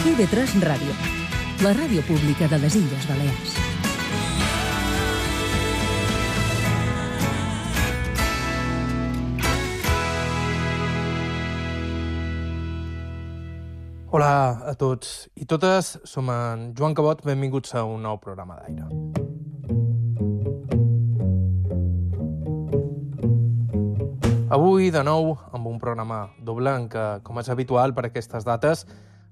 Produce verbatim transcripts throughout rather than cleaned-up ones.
I V tres Ràdio, la ràdio pública de les Illes Balears. Hola a tots i totes, som en Joan Cabot, benvinguts a un nou programa d'Aire. Avui, de nou, amb un programa doble en què, com és habitual per aquestes dates,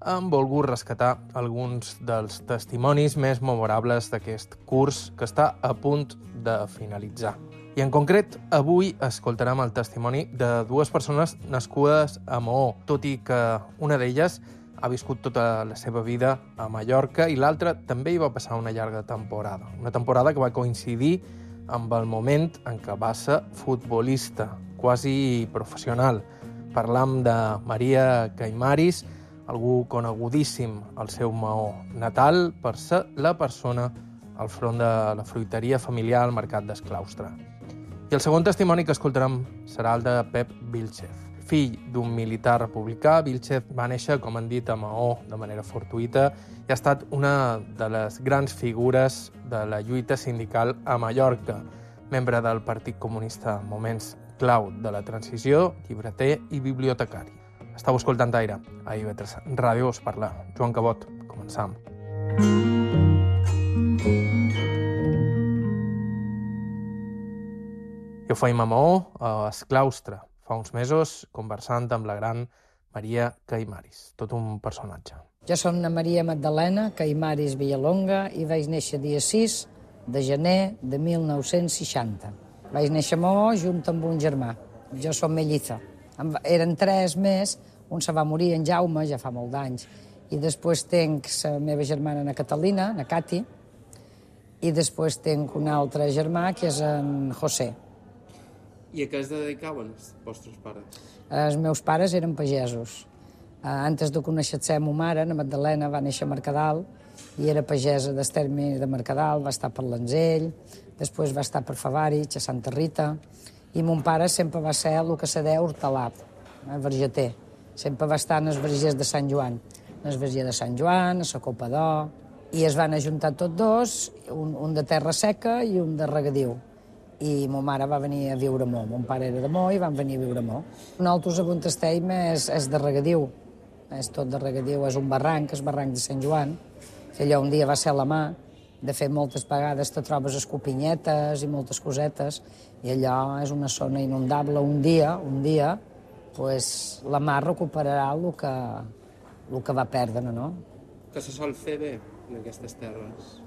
hem volgut rescatar alguns dels testimonis més memorables d'aquest curs que està a punt de finalitzar. I en concret, avui escoltarem el testimoni de dues persones nascudes a Maó, tot i que una d'elles ha viscut tota la seva vida a Mallorca i l'altra també hi va passar una llarga temporada. Una temporada que va coincidir amb el moment en què va ser futbolista, quasi professional. Parlam de Maria Caimaris, algú conegudíssim al seu Maó natal per ser la persona al front de la fruiteria familiar al Mercat d'Esclaustre. I el segon testimoni que escoltarem serà el de Pep Vilchez. Fill d'un militar republicà, Vilchez va néixer, com han dit, a Maó de manera fortuïta i ha estat una de les grans figures de la lluita sindical a Mallorca, membre del Partit Comunista en moments clau de la transició, llibreter i bibliotecari. Estau escoltant Aire, a I V tres Ràdio, us parla Joan Cabot. Començam. Jo feim a Maó, a Esclaustre, fa uns mesos, conversant amb la gran Maria Caimaris, tot un personatge. Jo som la Maria Magdalena Caimaris Villalonga i vaig néixer dia sis de gener de mil nou-cents seixanta. Vaig néixer a Maó junt amb un germà. Jo som melliza. Eren tres més, un se va morir, en Jaume, ja fa molt d'anys, i després tenc la meva germana, na Catalina, na Cati, i després tenc un altre germà, que és en José. I a què es dedicaven els vostres pares? Els meus pares eren pagesos. Antes de conèixer la meva mare, la Magdalena, va néixer a Mercadal i era pagesa del terme de Mercadal, va estar per l'Anzell, després va estar per Favarich, a Santa Rita, i mon pare sempre va ser el que se deia hortalà, vergeter. Sempre va estar en els vergers de Sant Joan, en el verger de Sant Joan, a la Copa d'Or, i es van ajuntar tots dos, un, un de terra seca i un de regadiu. I ma mare va venir a viure a Maó. Mon pare era de Maó i van venir a viure a Maó. Nosaltres a Bontesteim és, és de regadiu, és tot de regadiu, és un barranc, és barranc de Sant Joan, que allò un dia va ser a la mà. De fet, moltes vegades te trobes escopinyetes i moltes cosetes, i allò és una zona inundable. Un dia, un dia, pues, la mar recuperarà el que, el que va perdre, no? Que se sol fer bé en aquestes terres?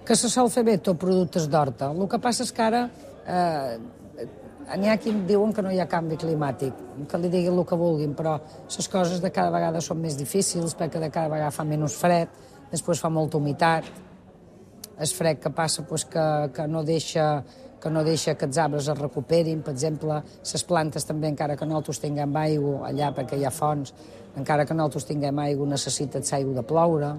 Que se sol fer bé tot productes d'horta. El que passa és que ara eh, n'hi ha qui diuen que no hi ha canvi climàtic, que li diguin el que vulguin, però les coses de cada vegada són més difícils perquè de cada vegada fa menys fred, després fa molta humitat. El fred que passa pues, que, que, no deixa, que no deixa que els arbres es recuperin. Per exemple, les plantes també, encara que nosaltres tinguem aigua allà perquè hi ha fonts, encara que nosaltres tinguem aigua necessita l'aigua de ploure.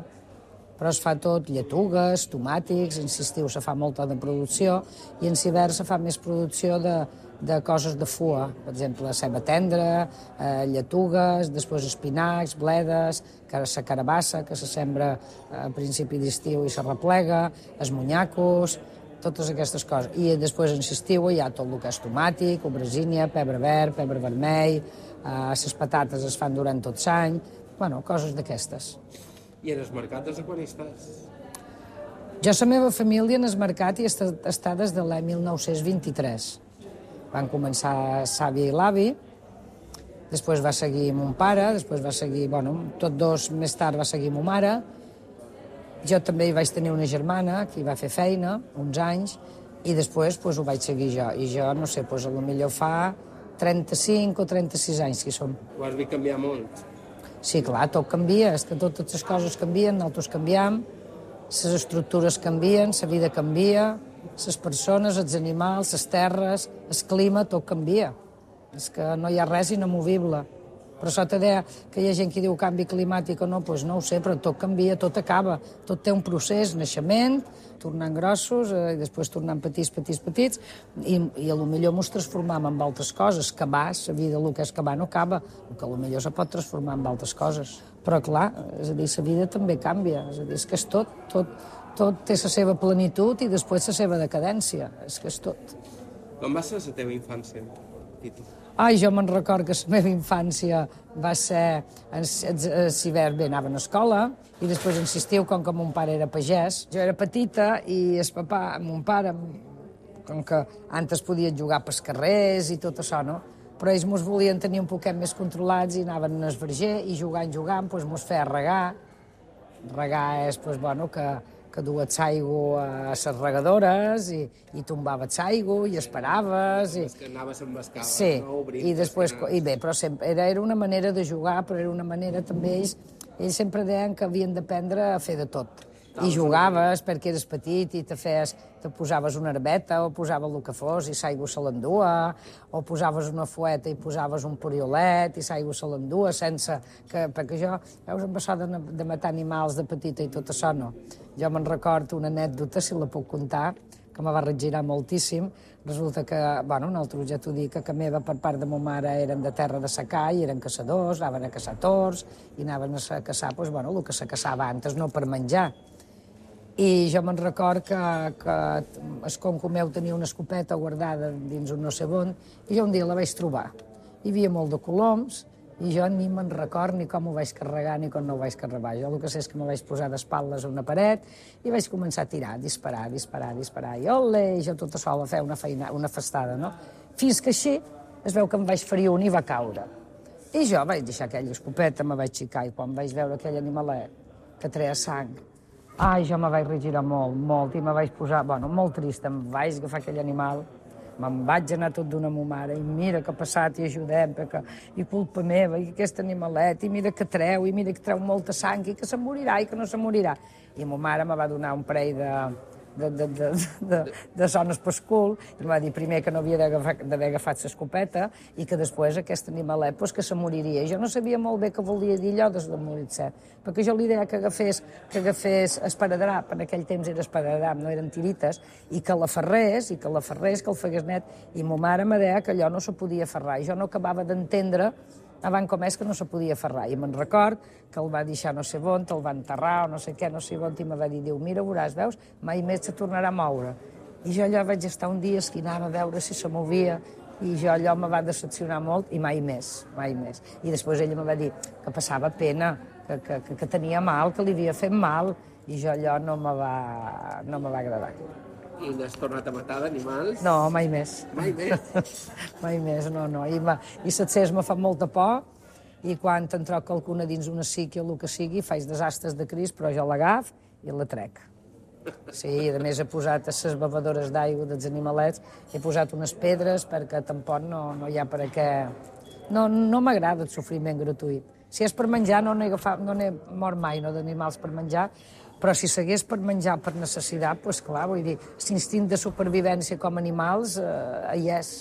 Però es fa tot, lletugues, tomàtics, en l'estiu se fa molta de producció i en l'hivern se fa més producció de, de coses de fua, per exemple, ceba tendra, eh, lletugues, després espinacs, bledes, la carabassa, que se sembra a principi d'estiu i se replega, els monyacos, totes aquestes coses. I després en l'estiu hi ha tot el que és tomàtic, aubergínia, pebre verd, pebre vermell, eh, les patates es fan durant tot l'any, bueno, coses d'aquestes. I en el mercat des de quan hi estàs? Jo, la meva família en el mercat hi està, està des de l'any mil nou-cents vint-i-tres. Van començar l'àvia i l'avi, després va seguir mon pare, després va seguir, bueno, tots dos més tard va seguir ma mare. Jo també hi vaig tenir una germana que hi va fer feina, uns anys, i després pues, ho vaig seguir jo. I jo, no sé, pues, potser fa trenta-cinc o trenta-sis anys que hi som. Ho has vist canviar molt? Sí, clar, tot canvia, és que totes les coses canvien, nosaltres canviem, les estructures canvien, la vida canvia, les persones, els animals, les terres, el clima, tot canvia. És que no hi ha res inamovible. Però això te deia que hi ha gent que diu canvi climàtic o no, doncs no ho sé, però tot canvia, tot acaba. Tot té un procés, naixement, tornant grossos, eh, i després tornant petits, petits, petits, i, i a lo millor mos transformam en altres coses. Acabar, la vida, el que és acabar no acaba, el que a lo millor se pot transformar en altres coses. Però clar, és a dir, la vida també canvia, és a dir, és que és tot, tot, tot té la seva plenitud i després la seva decadència, és que és tot. Com va ser la teva infància, Tito? Ai, jo me'n record que la meva infància va ser... A l'hivern bé, anava a l'escola i després en l'estiu, com que mon pare era pagès, jo era petita i el papà, mon pare, com que antes podia jugar pels carrers i tot això, no? Però ells mos volien tenir un poquet més controlats i anaven al verger i jugant, jugant, doncs mos feia regar. Regar és, doncs, bueno, que... que dues aigua a les regadores i, i tombaves aigua i esperaves. I... És que anaves amb escala, sí, no? Obrint, i després, i bé, però sempre, era, era una manera de jugar, però era una manera també, ells, ells sempre deien que havien d'aprendre a fer de tot. I jugaves perquè eres petit i te feies, te posaves una herbeta o posaves el que fos i l'aigua se l'endua, o posaves una fueta i posaves un poriolet i l'aigua se l'endua sense que... Perquè jo, veus, em passava de, de matar animals de petita i tot això, no. Jo me'n recordo una anècdota, si la puc contar, que me va regirar moltíssim. Resulta que, bueno, nosaltres ja t'ho dic, que meva per part de ma mare eren de terra de secà i eren caçadors, anaven a caçar tors i anaven a caçar, doncs, bueno, el que se caçava antes, no per menjar. I jo me'n record que, que el conco meu tenia una escopeta guardada dins un no sé on, i jo un dia la vaig trobar. Hi havia molt de coloms, i jo ni me'n record ni com ho vaig carregar ni com no ho vaig carregar. Jo el que sé és que me vaig posar d'espatlles a una paret i vaig començar a tirar, a disparar, a disparar, a disparar. I ole, i jo tota sola a fer una, feina, una festada, no? Fins que així es veu que em vaig ferir un i va caure. I jo vaig deixar aquella escopeta, me vaig xicar, i quan vaig veure aquell animalet que treia sang, ai, jo me vaig regirar molt, molt, i me vaig posar, bueno, molt trist, em vaig agafar aquell animal, me'n vaig anar tot d'una a ma mare, i mira que ha passat, i ajudem, perquè, i culpa meva, i aquest animalet, i mira que treu, i mira que treu molta sang, i que se morirà, i que no se morirà. I ma mare me va donar un parell de, de, de, de, de, de sones pel cul, i em va dir primer que no havia d'haver agafat l'escopeta, i que després aquest animalet, pues, que se moriria. I jo no sabia molt bé què volia dir allò de morir-se, perquè jo l'idea que agafés, que agafés esparadrap, en aquell temps era esparadrap, no eren tirites, i que l'aferrés, i que l'aferrés, que el fegués net, i ma mare me deia que allò no se podia aferrar, i jo no acabava d'entendre abans com és que no se podia aferrar. I me'n record que el va deixar no sé on, el va enterrar o no sé què, no sé on, i me va dir, diu, mira, veuràs, veus, mai més se tornarà a moure. I jo allò vaig estar un dia esquinava a veure si se movia, i jo allò me va decepcionar molt, i mai més, mai més. I després ella me va dir que passava pena, que, que, que, que tenia mal, que li havia fet mal, i jo allò no me va, no me va agradar. I n'has tornat a matar d'animals? No, mai més. Mai més? Mai més, no, no. I, ma, i l'accés me fa molta por, i quan te'n troc qualcuna dins una síquia o el que sigui, faig desastres de cris, però jo l'agaf i la trec. Sí, i a més he posat a les bevedores d'aigua dels animalets, he posat unes pedres perquè tampoc no, no hi ha per a què... No, no m'agrada el sofriment gratuït. Si és per menjar, no n'he agafat, no n'he mort mai, no, d'animals per menjar, però si s'hagués per menjar per necessitat, doncs clar, vull dir, l'instint de supervivència com a animals, eh, hi és.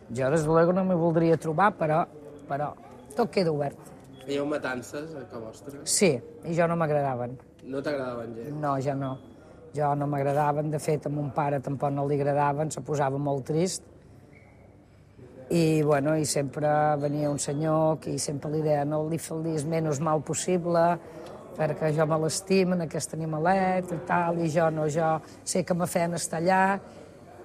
Jo, des de luego, no m'hi voldria trobar, però, però tot queda obert. Hi ha matances a casa vostra? Sí, i jo no m'agradaven. No t'agradaven gens? No, jo no. Jo no m'agradaven, de fet, a mon pare tampoc no li agradaven, se posava molt trist. I, bueno, i sempre venia un senyor que sempre li deia no li fes el menys mal possible, perquè jo me l'estim en aquest animalet i tal, i jo no, jo sé que me feien estar allà,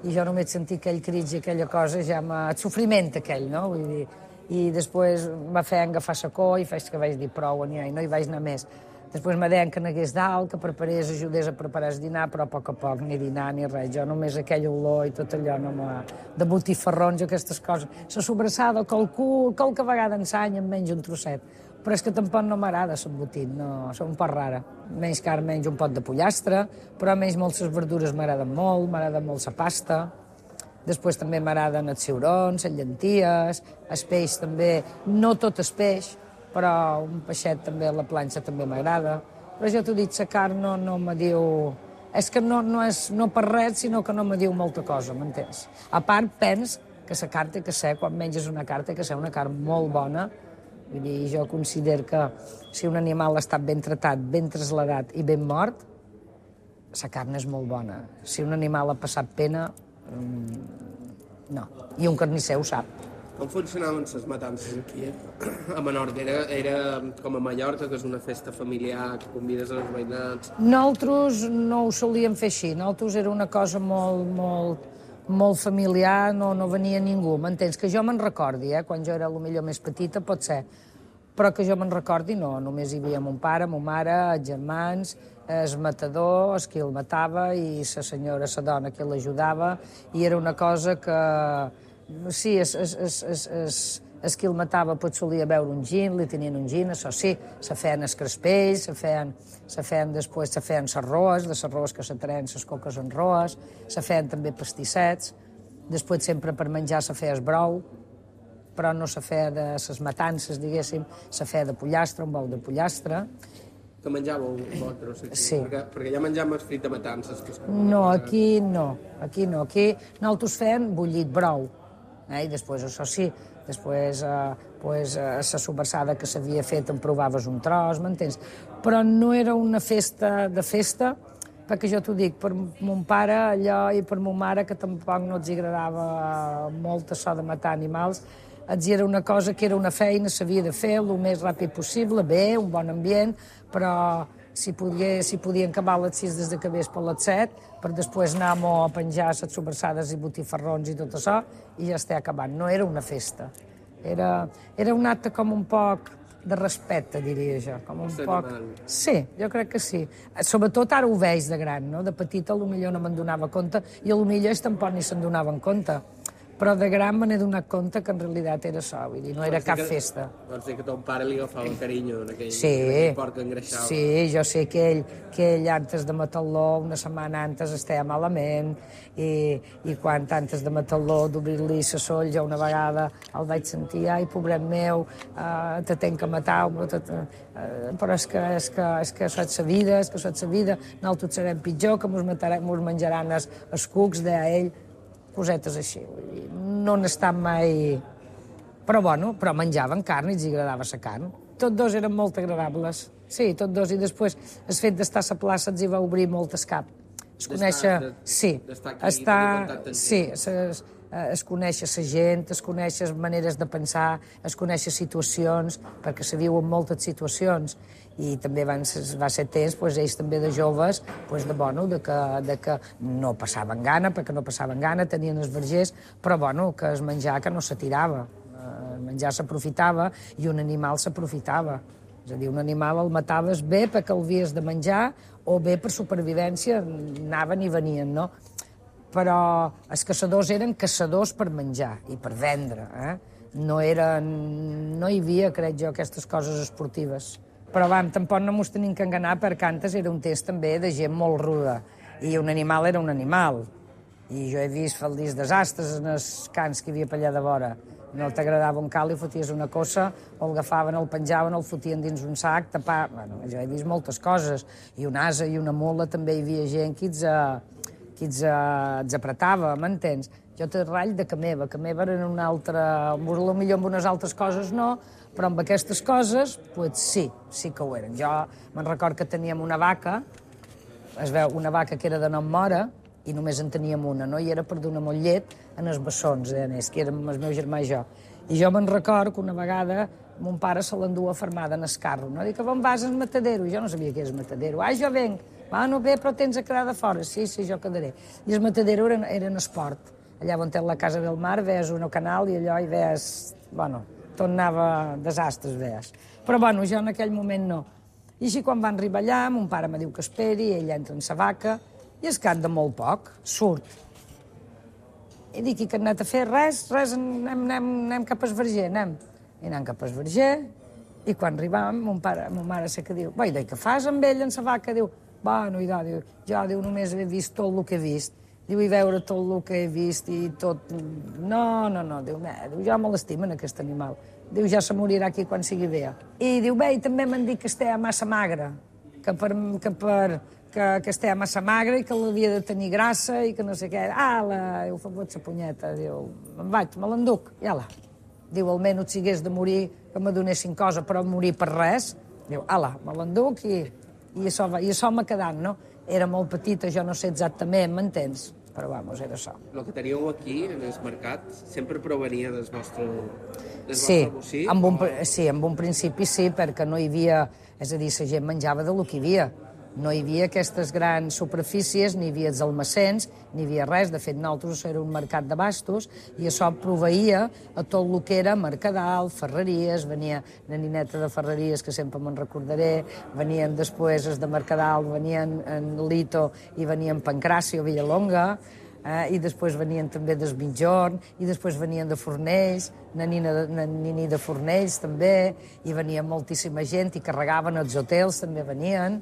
i jo només sentir aquell crit i aquella cosa, ja m'ha... el sofriment aquell, no? Vull dir, i després me feien agafar la cor i faig que vaig dir prou, i no hi vaig anar més. Després me deien que n'hagués dalt, que preparés, ajudés a preparar el dinar, però a poc a poc, ni dinar ni res. Jo només aquell olor i tot allò, no m'ha... de botifarrons, aquestes coses. La sobrassada, que el cul, qualque vegada ensany, em menjo un trosset. Però és que tampoc no m'agrada l'embotit, no, som un poc rara. Menys carn, menys un pot de pollastre, però menys molt les verdures m'agraden molt, m'agrada molt la pasta. Després també m'agraden els ciurons, les llenties, el peix també, no tot el peix, però un peixet també a la planxa també m'agrada. Però jo t'ho dic, la carn no, no me diu... És que no, no és no per res, sinó que no me diu molta cosa, m'entens? A part, pens que la carn té que ser, quan menges una carn, té que ser una carn molt bona, Vull dir, jo considero que si un animal ha estat ben tratat, ben trasladat i ben mort, la carn és molt bona. Si un animal ha passat pena, mmm, no. I un carnisser ho sap. Com funcionaven les matances aquí, eh? A Menorca? Era, era com a Mallorca, que és una festa familiar, que convides els veïnats... Nosaltres no ho solíem fer així. Nosaltres era una cosa molt, molt, molt familiar, no, no venia ningú. M'entens? Que jo me'n recordi, eh? Quan jo era potser més petita, pot ser. Però que jo me'n recordi, no. Només hi havia mon pare, mon mare, els germans, el matador, el qui el matava, i la senyora, la dona que l'ajudava, i era una cosa que... Sí, es, es, es, es, es, es qui el matava pot solia beure un gin, li tenien un gin, això sí, se feien els crespells, se feien, se feien després, se feien les roes, de les roes que se treien les coques en roes, se feien també pastissets, després sempre per menjar se feia el brou, però no se feia de les matances, diguéssim, se feia de pollastre, un bou de pollastre. Que menjàveu vosaltres aquí? Sí. Perquè, perquè ja menjàvem el frit de matances. Que és com No, una cosa- aquí no, aquí no. Aquí nosaltres fèiem bullit brou, eh? I després, això sí, després eh, pues, eh, la sobrassada que s'havia fet en provaves un tros, m'entens? Però no era una festa de festa, perquè jo t'ho dic, per mon pare allò i per mon mare, que tampoc no els agradava molt això de matar animals, els era una cosa que era una feina, s'havia de fer el més ràpid possible, bé, un bon ambient, però si, podia, si podien acabar a les sis des de que vés per les set, per després anar a penjar les sobrassades i botifarrons i tot això, i ja està acabant. No era una festa. Era, era un acte com un poc de respecte, diria jo. Com un Ser poc... animal. Sí, jo crec que sí. Sobretot ara ho veig de gran, no? De petita potser no me'n donava compte i potser ells tampoc ni se'n donaven compte. Però de gran me n'he donat compte que en realitat era això, vull dir, no era cap festa. Vols dir que ton pare li agafava carinyo en aquell, Sí, en aquell porc que engreixava. sí, jo sé que ell, que ell antes de matar-lo, una setmana antes estava malament, i, i quan antes de matar-lo, d'obrir-li la soll, jo una vegada el vaig sentir, ai, pobret meu, uh, te tenc que matar, te, te, uh, però és que, és que, és que això és la vida, és que això és la vida, nosaltres serem pitjor, que mos, matarem, mos menjaran els, els cucs, deia ell, cosetes així, vull dir, no n'estan mai... Però, bueno, però menjaven carn i els agradava la carn. Tots dos eren molt agradables. Sí, tots dos. I després, el fet d'estar a la plaça els hi va obrir molt el cap. Es conèixer... de- Sí, d'estar aquí, estar... tenir contacte amb Sí, es, es conèixer la gent, es conèixer maneres de pensar, es conèixer situacions, perquè se viuen moltes situacions. I també van, va ser temps, doncs, ells també de joves, doncs, de, bueno, de, que, de que no passaven gana, perquè no passaven gana, tenien els vergers, però bueno, que es menjar que no s'atirava. El menjar s'aprofitava i un animal s'aprofitava. És a dir, un animal el mataves bé perquè el havies de menjar o bé per supervivència, anaven i venien, no? Però els caçadors eren caçadors per menjar i per vendre, eh? No eren... no hi havia, crec jo, aquestes coses esportives. Però, vam, tampoc no mos tenim que enganar, perquè antes era un temps també de gent molt ruda, i un animal era un animal. I jo he vist faldís desastres en els cans que hi havia per allà de vora. No t'agradava un cal i foties una cossa, o el agafaven, el penjaven, el fotien dins un sac, tapar... Bueno, jo he vist moltes coses. I un ase i una mula també hi havia gent que els, que els, els apretava, m'entens? Jo té ratll de que meva, que meva era una altra... Potser amb unes altres coses no, però amb aquestes coses, pues sí, sí que ho eren. Jo me'n record que teníem una vaca, es veu, una vaca que era de nom Mora, i només en teníem una, no? I era per donar molt llet en els bessons, eh, que érem el meu germà i jo. I jo me'n record que una vegada mon pare se l'endú afermada en el carro, no? Dic, on vas al matadero? I jo no sabia què és matadero. Ah, jo venc. Bueno, bé, però tens a quedar de fora. Sí, sí, jo quedaré. I el matadero era, era en esport. Allà on té la Casa del Mar, veies un canal i allò hi veies... Bueno, tot anava desastres, veies. Però, bueno, jo en aquell moment no. I així, quan van arribar allà, mon pare me diu que esperi, ell entra en sa vaca, i es cap de molt poc, surt. I dic, i que han anat a fer? Res, res, anem, anem, anem cap al verger, anem. I anem cap al verger, i quan arribàvem, mon pare, mon mare sé que diu, vai, què fas amb ell, en sa vaca? Diu, bueno, idò, diu, jo, diu, només he vist tot el que he vist. Diu, i veure tot el que he vist i tot... No, no, no, diu, bé, diu, jo me l'estimen, aquest animal. Diu, ja se morirà aquí quan sigui vella. I diu, bé, i també m'han dit que estava massa magra, que per... que per que, que estava massa magra i que l'havia de tenir grassa i que no sé què. Ah, la... diu, fa la punyeta, diu, me'n vaig, me l'enduc, ja la. diu, almenys si hagués de morir, que me donessin cosa, però morir per res, diu, ala, me l'enduc i, i això, va, i això m'ha quedat, no? Era molt petita, jo no sé exactament, m'entens? Però, vamos, era això. El que teníeu aquí, en el mercat, sempre provenia del vostre, del Sí, vostre bocí? amb un, sí, en un principi sí, perquè no hi havia... És a dir, la gent menjava del que hi havia. No hi havia aquestes grans superfícies, ni hi havia els almacens, ni hi havia res. De fet, nosaltres era un mercat de bastos i això proveïa a tot el que era Mercadal, Ferreries, venia la nineta de Ferreries, que sempre me'n recordaré, venien després els de Mercadal, venien en Lito i venien Pancràcio, Villalonga, eh, i després venien també des Mitjorn, i després venien de Fornells, na Nina de, na Nini de Fornells també, i venia moltíssima gent, i carregaven els hotels, també venien,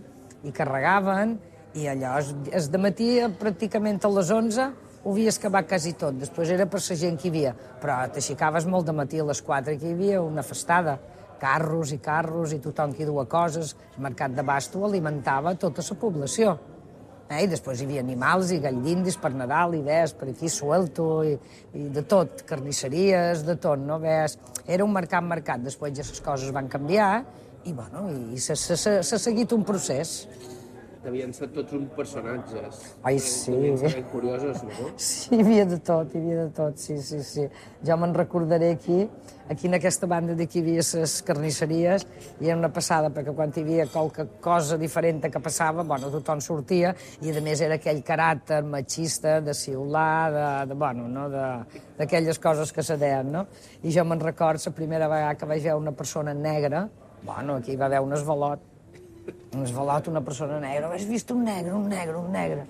i carregaven, i allò, es, es dematí pràcticament a les onze ho havies acabat quasi tot, després era per la gent que hi havia, però t'aixecaves molt de matí a les quatre, que hi havia una festada, carros i carros, i tothom que hi duia coses, el mercat de Basto alimentava tota la població. Eh? I després hi havia animals i galldindis per Nadal, i ves, per aquí suelto, i, i de tot, carnisseries, de tot, no? Ves, era un mercat mercat, després ja les coses van canviar, i bueno, i s'ha seguit un procés. Devien ser tots uns personatges. Ai, sí. Devien ser ben curiosos, no? Sí, hi havia de tot, hi havia de tot, sí, sí, sí. Jo me'n recordaré aquí, aquí en aquesta banda d'aquí hi havia les carnisseries, i era una passada, perquè quan hi havia qualque cosa diferent que passava, bueno, tothom sortia, i a més era aquell caràcter machista, de ciular, de, de bueno, no?, d'aquelles coses que se deien, no? I jo me'n record la primera vegada que vaig veure una persona negra, bueno, aquí hi va haver un esvalot, un esvalot, una persona negra, has vist un negre, un negre, un negre.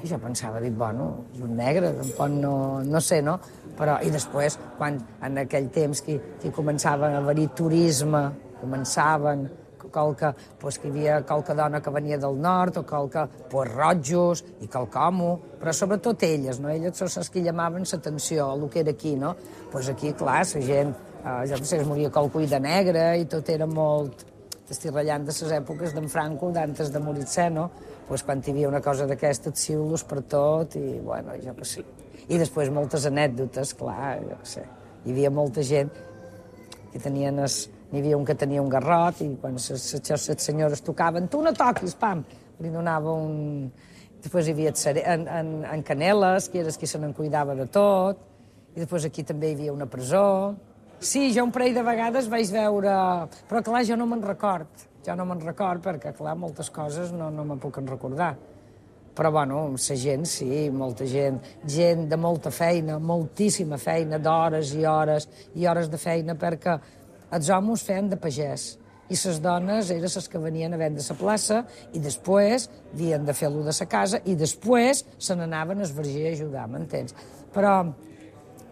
I jo pensava, dic, bueno, és un negre, tampoc no, no sé, no? Però, i després, quan en aquell temps que, que començava a haver-hi turisme, començaven qualque, pues, que hi havia qualque dona que venia del nord, o qualque, pues, rojos, i qualcomo, però sobretot elles, no? Elles són les que llamaven l'atenció a el que era aquí, no? Pues aquí, clar, la gent, eh, jo no sé, es moria qualcú de negre, i tot era molt... Estic ratllant de les èpoques d'en Franco, d'antes de morir-se, no? Pues quan hi havia una cosa d'aquesta, et xiulos per tot, i, bueno, jo què sé. I després moltes anècdotes, clar, jo què sé. Hi havia molta gent que tenien... Es... N'hi havia un que tenia un garrot, i quan les senyores tocaven, tu no toquis, pam! Li donava un... Després hi havia en, en, en Caneles, que era qui se n'en cuidava de tot, i després aquí també hi havia una presó. Sí, jo un parell de vegades vaig veure... Però, clar, jo no me'n record. Jo no me'n record perquè, clar, moltes coses no, no me'n puc recordar. Però, bueno, la gent, sí, molta gent. Gent de molta feina, moltíssima feina, d'hores i hores i hores de feina, perquè els homes feien de pagès i les dones eren les que venien a vendre la plaça i després havien de fer-lo de la casa i després se n'anaven al verger a ajudar, m'entens? Però...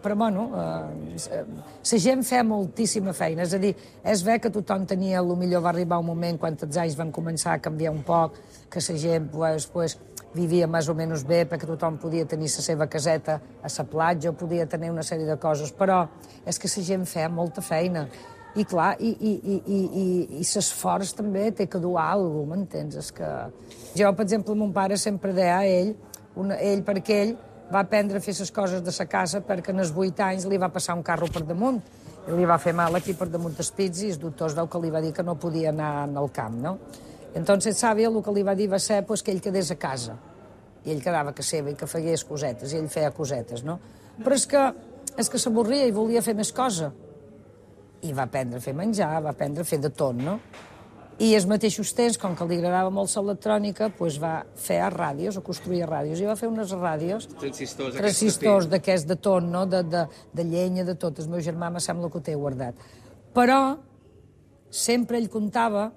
Però, bueno, eh, la gent feia moltíssima feina. És a dir, és bé que tothom tenia... Potser va arribar un moment, quan els anys van començar a canviar un poc, que la gent pues, pues, vivia més o menys bé, perquè tothom podia tenir la seva caseta a la platja, podia tenir una sèrie de coses, però és que la gent feia molta feina. I, clar, i, i, i, i, i, i l'esforç també té que dur alguna cosa, m'entens? És que... Jo, per exemple, mon pare sempre deia a ell, una, ell perquè ell, va aprendre a fer les coses de sa casa perquè en els vuit anys li va passar un carro per damunt. I li va fer mal aquí per damunt dels pits i els doctors veu que li va dir que no podia anar al camp, no? Entonces, sàvia, el que li va dir va ser pues, que ell quedés a casa. I ell quedava a casa seva i que fegués cosetes, i ell feia cosetes, no? Però és que, és que s'avorria i volia fer més cosa. I va aprendre a fer menjar, va aprendre a fer de tot, no? I als mateixos temps, com que li agradava molt l'electrònica, doncs va fer ràdios, o construir ràdios, i va fer unes ràdios... Transistors, transistors d'aquests de tot, no? De, de, de llenya, de tot. El meu germà me sembla que ho té guardat. Però sempre ell contava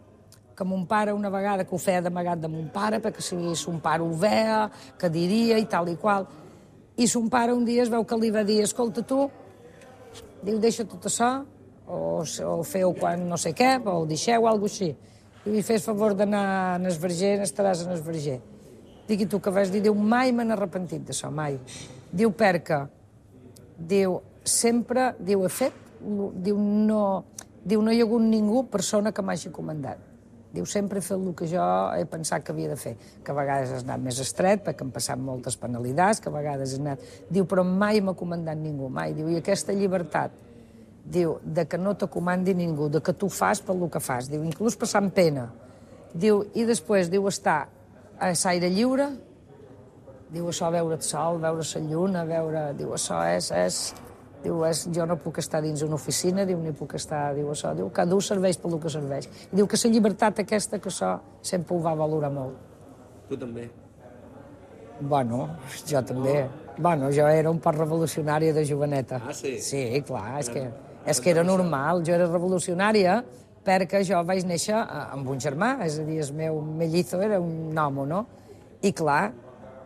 que mon pare una vegada, que ho feia d'amagat de mon pare, perquè si son pare ho veia, que diria i tal i qual. I son pare un dia es veu que li va dir, escolta tu, diu, deixa tot això, o, o feu quan no sé què, o ho deixeu, o alguna cosa així. I li fes favor d'anar en el verger, estaràs en el verger. Digui tu que vas dir, diu, mai me n'he arrepentit d'això, mai. Diu, perquè, diu, sempre, diu, he fet, diu, no, diu, no hi ha hagut ningú persona que m'hagi comandat. Diu, sempre he fet el que jo he pensat que havia de fer, que a vegades has anat més estret, perquè han passat moltes penalitats, que a vegades has anat... Diu, però mai m'ha comandat ningú, mai. Diu, i aquesta llibertat diu, de que no te comandi ningú, de que tu fas pel que fas, diu, inclús passant pena. Diu, i després, diu, estar a l'aire lliure, diu, això, veure el sol, veure la lluna, veure... Diu, això és... és... Diu, és, jo no puc estar dins una oficina, diu, ni puc estar... Diu, això, diu, cada un serveix pel que serveix. I diu que la llibertat aquesta, que això sempre ho va valorar molt. Tu també? Bueno, jo també. Bueno, jo era un poc revolucionària de joveneta. Ah, sí? Sí, clar, és que, és que era normal. Jo era revolucionària perquè jo vaig néixer amb un germà, és a dir, el meu mellizo era un homo, no? I clar,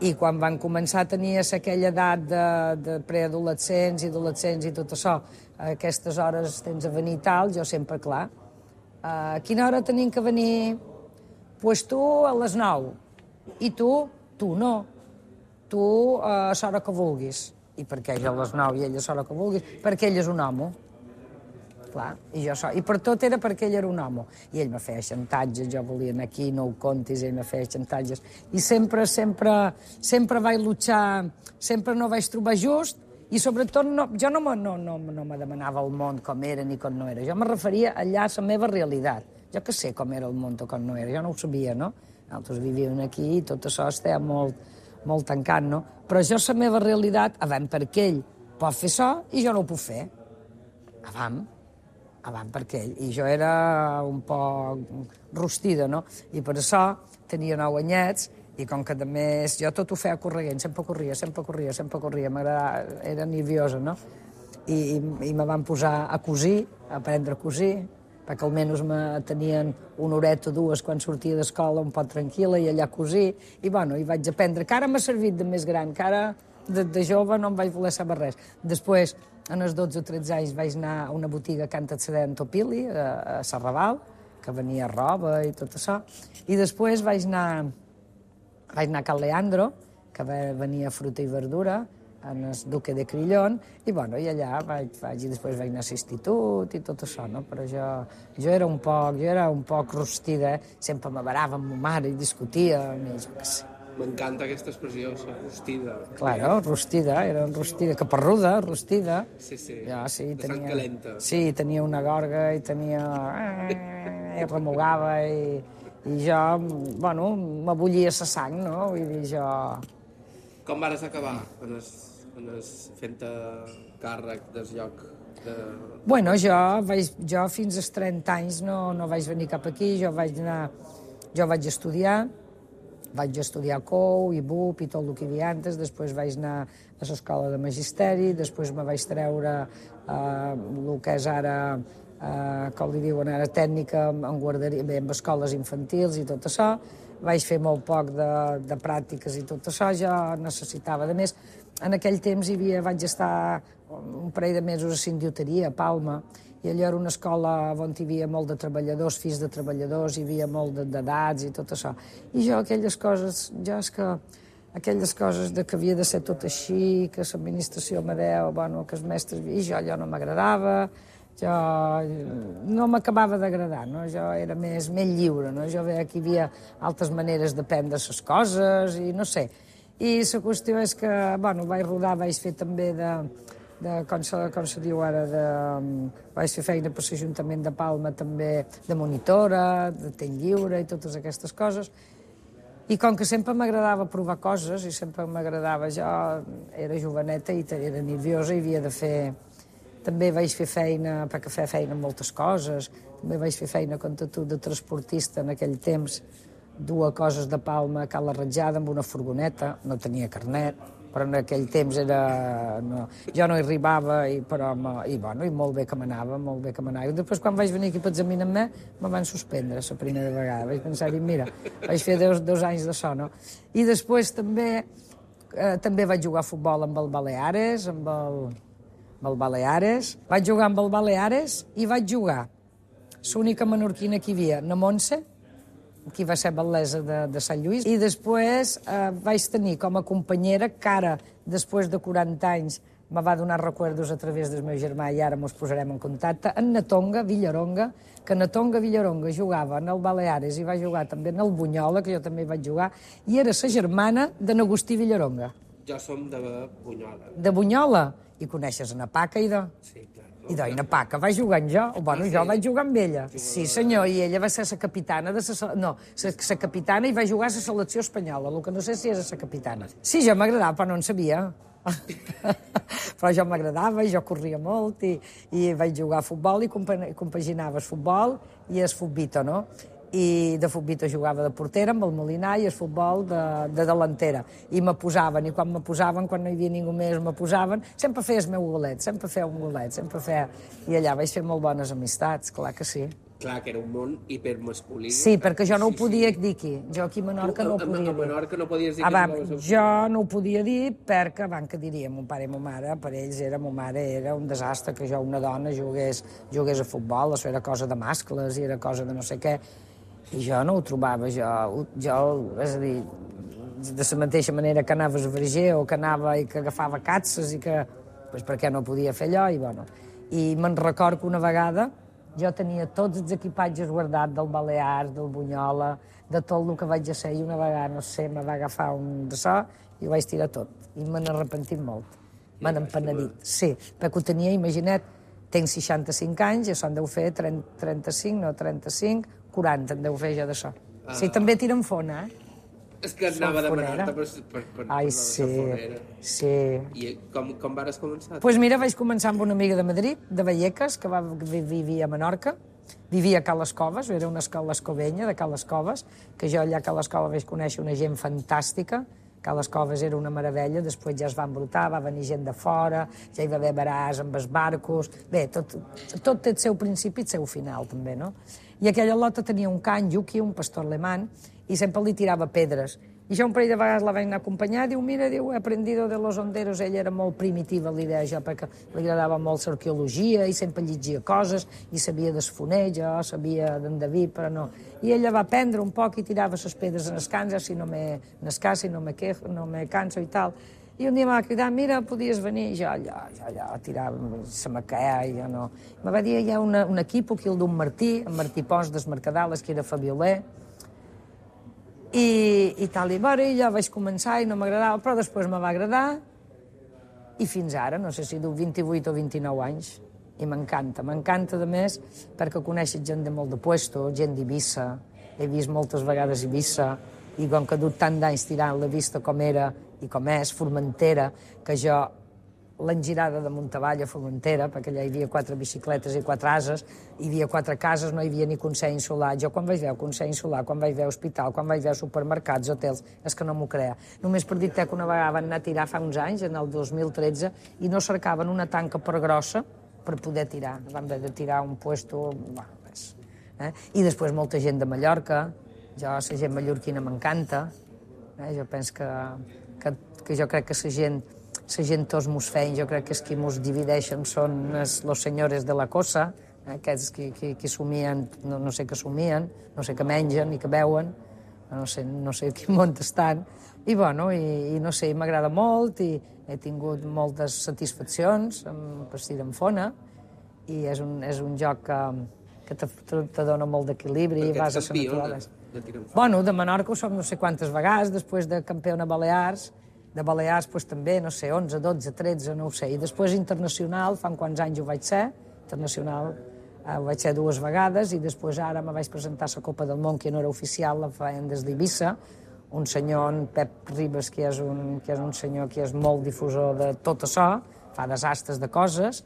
i quan van començar a tenir aquella edat de, de preadolescents i adolescents i tot això, a aquestes hores tens a venir i tal, jo sempre, clar, a quina hora tenim que venir? Doncs pues tu a les nou. I tu? Tu no. Tu a l'hora que vulguis. I per què ell a les nou i ell a l'hora que vulguis? Perquè ell és un homo. Clar, i, jo so... I per tot era perquè ell era un home. I ell me feia xantatges, jo volia anar aquí, no ho contis, ell me feia xantatges. I sempre, sempre, sempre vaig luchar, sempre no vaig trobar just, i sobretot no, jo no me, no, no, no me demanava el món com era ni com no era. Jo me referia allà a la meva realitat. Jo que sé com era el món o com no era, jo no ho sabia, no? Nosaltres vivíem aquí i tot això estava molt, molt tancat, no? Però jo la meva realitat, avant perquè ell pot fer això i jo no ho puc fer. Avant. Avant perquè ell. I jo era un poc rostida, no? I per això tenia nou anyets i com que també jo tot ho feia corrent, sempre corria, sempre corria, sempre corria, m'agradava, era nerviosa, no? I, i, i me van posar a cosir, a aprendre a cosir, perquè almenys me tenien una horeta o dues quan sortia d'escola un poc tranquil·la i allà cosir, i bueno, i vaig aprendre, que ara m'ha servit de més gran, que ara de, de jove no em vaig voler saber res. Després, en els dotze o tretze anys vaig anar a una botiga que antes se deia Topili, a, a Sarraval, que venia roba i tot això, i després vaig anar, vaig anar a Cal Leandro, que venia fruita i verdura, en el Duque de Crillon, i, bueno, i allà vaig, vaig, i després vaig anar a l'institut i tot això, no? Però jo, jo era un poc, jo era un poc rostida, eh? Sempre m'avarava amb ma mare i discutia, i jo què sé. M'encanta aquesta expressió, rostida. Claro, rostida, era rostida, caparruda, rostida. Sí, sí, ja, sí de tenia, sang calenta. Sí, tenia una gorga i tenia... i remugava i, i jo, bueno, m'abullia la sang, no? Vull dir, jo... Com vares acabar en es, en es fent-te càrrec del lloc de... Bueno, jo, vaig, jo fins als trenta anys no, no vaig venir cap aquí, jo vaig anar... Jo vaig estudiar, vaig estudiar C O U i B U P i tot el que hi havia antes, després vaig anar a l'escola de magisteri, després me vaig treure eh, el que és ara, eh, com li diuen ara, tècnica en guarderia, bé, en escoles infantils i tot això. Vaig fer molt poc de, de pràctiques i tot això, jo necessitava de més. En aquell temps hi havia, vaig estar un parell de mesos a Sindioteria, a Palma, i allò era una escola on hi havia molt de treballadors, fills de treballadors, hi havia molt d'edats i tot això. I jo aquelles coses, jo és que aquelles coses de que havia de ser tot així, que l'administració me deu, bueno, que els mestres... I jo allò no m'agradava, jo no m'acabava d'agradar, no? Jo era més, més lliure, no? Jo veia que hi havia altres maneres d'aprendre les coses i no sé. I la qüestió és que, bueno, vaig rodar, vaig fer també de... de, com, se, com se diu ara, de, vaig fer feina per l'Ajuntament de Palma també de monitora, de temps lliure i totes aquestes coses. I com que sempre m'agradava provar coses i sempre m'agradava, jo era joveneta i era nerviosa i havia de fer... També vaig fer feina, perquè feia feina en moltes coses, també vaig fer feina com tu de transportista en aquell temps, dues coses de Palma a Cala Ratjada amb una furgoneta, no tenia carnet, però en aquell temps era... No, jo no hi arribava, i, però, i, bueno, i molt bé que m'anava, molt bé que m'anava. I després, quan vaig venir aquí per examinar-me, me van suspendre la primera vegada. Vaig pensar, mira, vaig fer dos, dos anys de so, no? I després també, eh, també vaig jugar a futbol amb el Baleares, amb el, amb el Baleares. Vaig jugar amb el Baleares i vaig jugar l'única menorquina que hi havia, na Montse, qui va ser batlessa de, de Sant Lluís, i després eh, vaig tenir com a companyera que ara, després de quaranta anys, me va donar recuerdos a través del meu germà i ara mos posarem en contacte, en Natonga Villaronga, que Natonga Villaronga jugava en el Baleares i va jugar també en el Bunyola, que jo també vaig jugar, i era la germana de n'Agustí Villaronga. Jo som de Bunyola. De Bunyola? I coneixes en Paca i de... Sí, clar. I Doina Paca va jugar amb jo, o bueno, jo vaig jugar amb ella. Sí, senyor, i ella va ser la capitana de la... No, la capitana i va jugar a la selecció espanyola, el que no sé si era la capitana. Sí, jo m'agradava, però no en sabia. Però jo m'agradava, jo corria molt i, i vaig jugar a futbol i compaginava el futbol i el futbito, no? I de futbito jugava de portera amb el Molinar i el futbol de, de delantera. I me posaven, i quan me posaven, quan no hi havia ningú més, me posaven, sempre feia el meu golet, sempre feia un golet, sempre feia... I allà vaig fer molt bones amistats, clar que sí. Clar, que era un món hipermasculí. Sí, perquè jo no ho podia dir aquí. Jo aquí a Menorca no ho podia dir. A Menorca no podies dir que anaves a... Jo no ho podia dir perquè, abans que diria, mon pare i mon mare, per ells era, mon mare era un desastre que jo, una dona, jugués, jugués a futbol, això era cosa de mascles i era cosa de no sé què. I jo no ho trobava, jo, jo és a dir, de la mateixa manera que anaves a verger o que anava i que agafava catses i que, doncs perquè no podia fer allò, i bueno. I me'n record que una vegada jo tenia tots els equipatges guardats del Balears, del Bunyola, de tot el que vaig a ser, i una vegada, no sé, me va agafar un de so i ho vaig tirar tot. I me n'he arrepentit molt. Me n'he empenedit. Sí, perquè ho tenia, imagina't, tenc seixanta-cinc anys, i això en deu fer trenta-cinc, no, trenta-cinc, quaranta en deu fer jo d'això. Sí, també tira en fona, eh? És que anava a demanar-te per, per, per, Ai, per sí, la fonera. Sí. I com, com vares començar? Doncs pues mira, vaig començar amb una amiga de Madrid, de Vallecas, que va vivia a Menorca, vivia a Cales Coves, era una escola escovenya de Cales Coves, que jo allà a Cales Coves vaig conèixer una gent fantàstica. Cales Coves era una meravella, després ja es va embrutar, va venir gent de fora, ja hi va haver baràs amb els barcos... Bé, tot, tot té el seu principi i el seu final, també, no? I aquella lota tenia un can, Yuki, un pastor alemany, i sempre li tirava pedres. I jo un parell de vegades la vaig anar a acompanyar, diu, mira, diu, he aprendido de los honderos, ella era molt primitiva, l'idea jo, perquè li agradava molt l'arqueologia i sempre llegia coses, i sabia d'esfoner, jo sabia d'endeví, però no. I ella va aprendre un poc i tirava les pedres en els cans, si no me n'escassi, no me quejo, no me canso i tal. I un dia em va cridar, mira, podies venir, i jo allà, allà, allà, tirava, se me caia, i jo no. Me va dir, hi ha una, un equip aquí, el d'un Martí, en Martí Pons, des Mercadales, que era fabioler, I, i tal, i bueno, ja vaig començar i no m'agradava, però després me va agradar i fins ara, no sé si du vint-i-vuit o vint-i-nou anys, i m'encanta, m'encanta de més perquè coneixes gent de molt de puesto, gent d'Eivissa, he vist moltes vegades Eivissa, i com que ha dut tant d'anys tirant la vista com era i com és, Formentera, que jo l'engirada de Montavall a Formentera, perquè allà hi havia quatre bicicletes i quatre ases, hi havia quatre cases, no hi havia ni Consell Insular. Jo quan vaig veure Consell Insular, quan vaig veure hospital, quan vaig veure supermercats, hotels, és que no m'ho crea. Només per dir-te que una vegada van anar a tirar fa uns anys, en el dos mil tretze, i no cercaven una tanca per grossa per poder tirar. Van haver de tirar un puesto... Bueno, res. Eh? I després molta gent de Mallorca, jo, la gent mallorquina m'encanta, eh? Jo penso que, que, que jo crec que la gent la gent tots mos feien, jo crec que els qui mos divideixen són els, los senyores de la cosa, eh, aquests qui, qui, qui somien, no, no sé què somien, no sé què mengen i què beuen, no sé, no sé quin món estan, i bueno, i, i no sé, m'agrada molt, i he tingut moltes satisfaccions amb vestir en fona, i és un, és un joc que, que te, te, te dona molt d'equilibri. Perquè ets campiona de tir en fona. Bueno, de Menorca ho som no sé quantes vegades, després de campiona Balears, de Balears pues, també, no sé, onze, dotze, tretze, no ho sé. I després internacional, fa quants anys ho vaig ser, internacional eh, ho vaig ser dues vegades, i després ara me vaig presentar a la Copa del Món, que no era oficial, la feien des d'Eivissa, un senyor, en Pep Ribes, que és un, que és un senyor que és molt difusor de tot això, fa desastres de coses,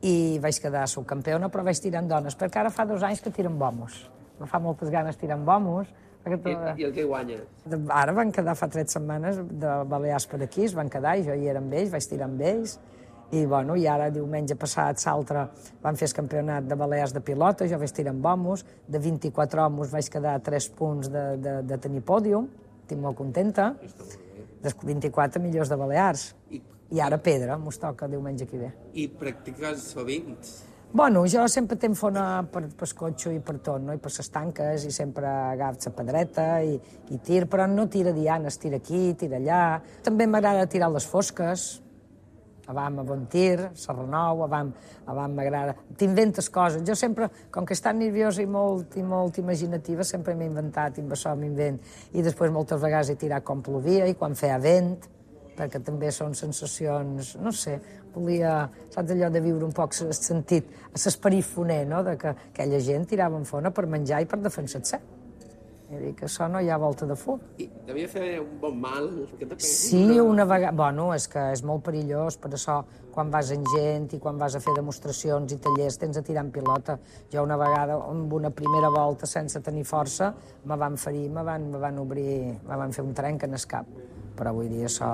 i vaig quedar subcampiona, però vaig tirant dones, perquè ara fa dos anys que tiren bomos. Me fa moltes ganes tirant bomos. I, I el que guanya? Ara van quedar fa tres setmanes de Balears per aquí, es van quedar, i jo hi era amb ells, vaig tirar amb ells, i, bueno, i ara diumenge passat, l'altre, van fer el campionat de Balears de pilota, jo vaig tirar amb homos, de vint-i-quatre homos vaig quedar a tres punts de, de, de tenir pòdium, estic molt contenta, dels vint-i-quatre millors de Balears, I, i ara pedra, mos toca diumenge que ve. I practiques sovint? Bueno, jo sempre tenc fona per, per cotxe i per tot, no? I per les tanques, i sempre agafo la pedreta i, i tir, però no tira dianes, tira aquí, tira allà. També m'agrada tirar les fosques, abans a bon tir, Serranou, abans, abans m'agrada... T'inventes coses. Jo sempre, com que és tan nerviosa i molt, i molt imaginativa, sempre m'he inventat, i amb això m'invent. I després moltes vegades he tirat com plovia i quan feia vent, perquè també són sensacions, no sé, volia, saps, allò de viure un poc el sentit, l'esperit foner, no?, de que aquella gent tirava en fona per menjar i per defensar-se. És dir, que això no hi ha volta de fum. I devia fer un bon mal? Sí, una vegada... Bueno, és que és molt perillós, per això, quan vas en gent i quan vas a fer demostracions i tallers, tens a tirar en pilota. Jo una vegada, amb una primera volta, sense tenir força, me van ferir, me van, me van obrir, me van fer un trenc en el cap. Però vull dir, això,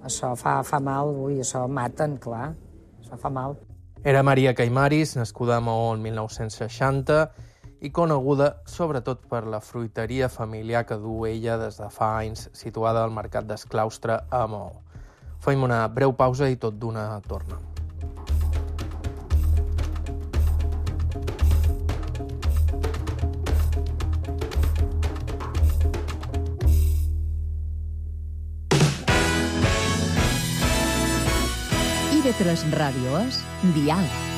això fa, fa mal, vull, això maten, clar, això fa mal. Era Maria Caimaris, nascuda a Maó el mil nou-cents seixanta, i coneguda sobretot per la fruiteria familiar que du ella des de fa anys, situada al Mercat d'Esclaustre a Maó. Fem una breu pausa i tot d'una torna. I ve tres Ràdio és Diàleg.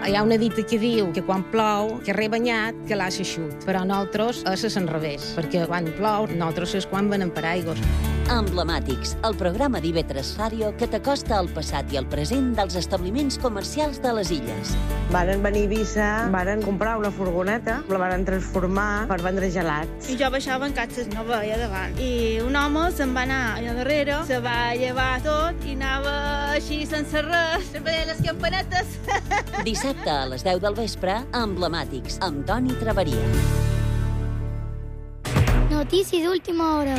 Hi ha una dita que diu que quan plou, que re banyat, que l'ha eixut. Però nosaltres és al revés, perquè quan plou, nosaltres és quan venen per aigües. Emblemàtics, el programa d'I V tres Ràdio que t'acosta al passat i al present dels establiments comercials de les illes. Varen venir a Eivissa, varen comprar una furgoneta, la varen transformar per vendre gelats. I jo baixava en catxes, no veia davant. I un home se'n va anar allà darrere, se va llevar tot i anava així sense res, sempre deia les campanetes. Dissabte a les deu del vespre, Emblemàtics, amb Toni Traveria. Notícies d'última hora.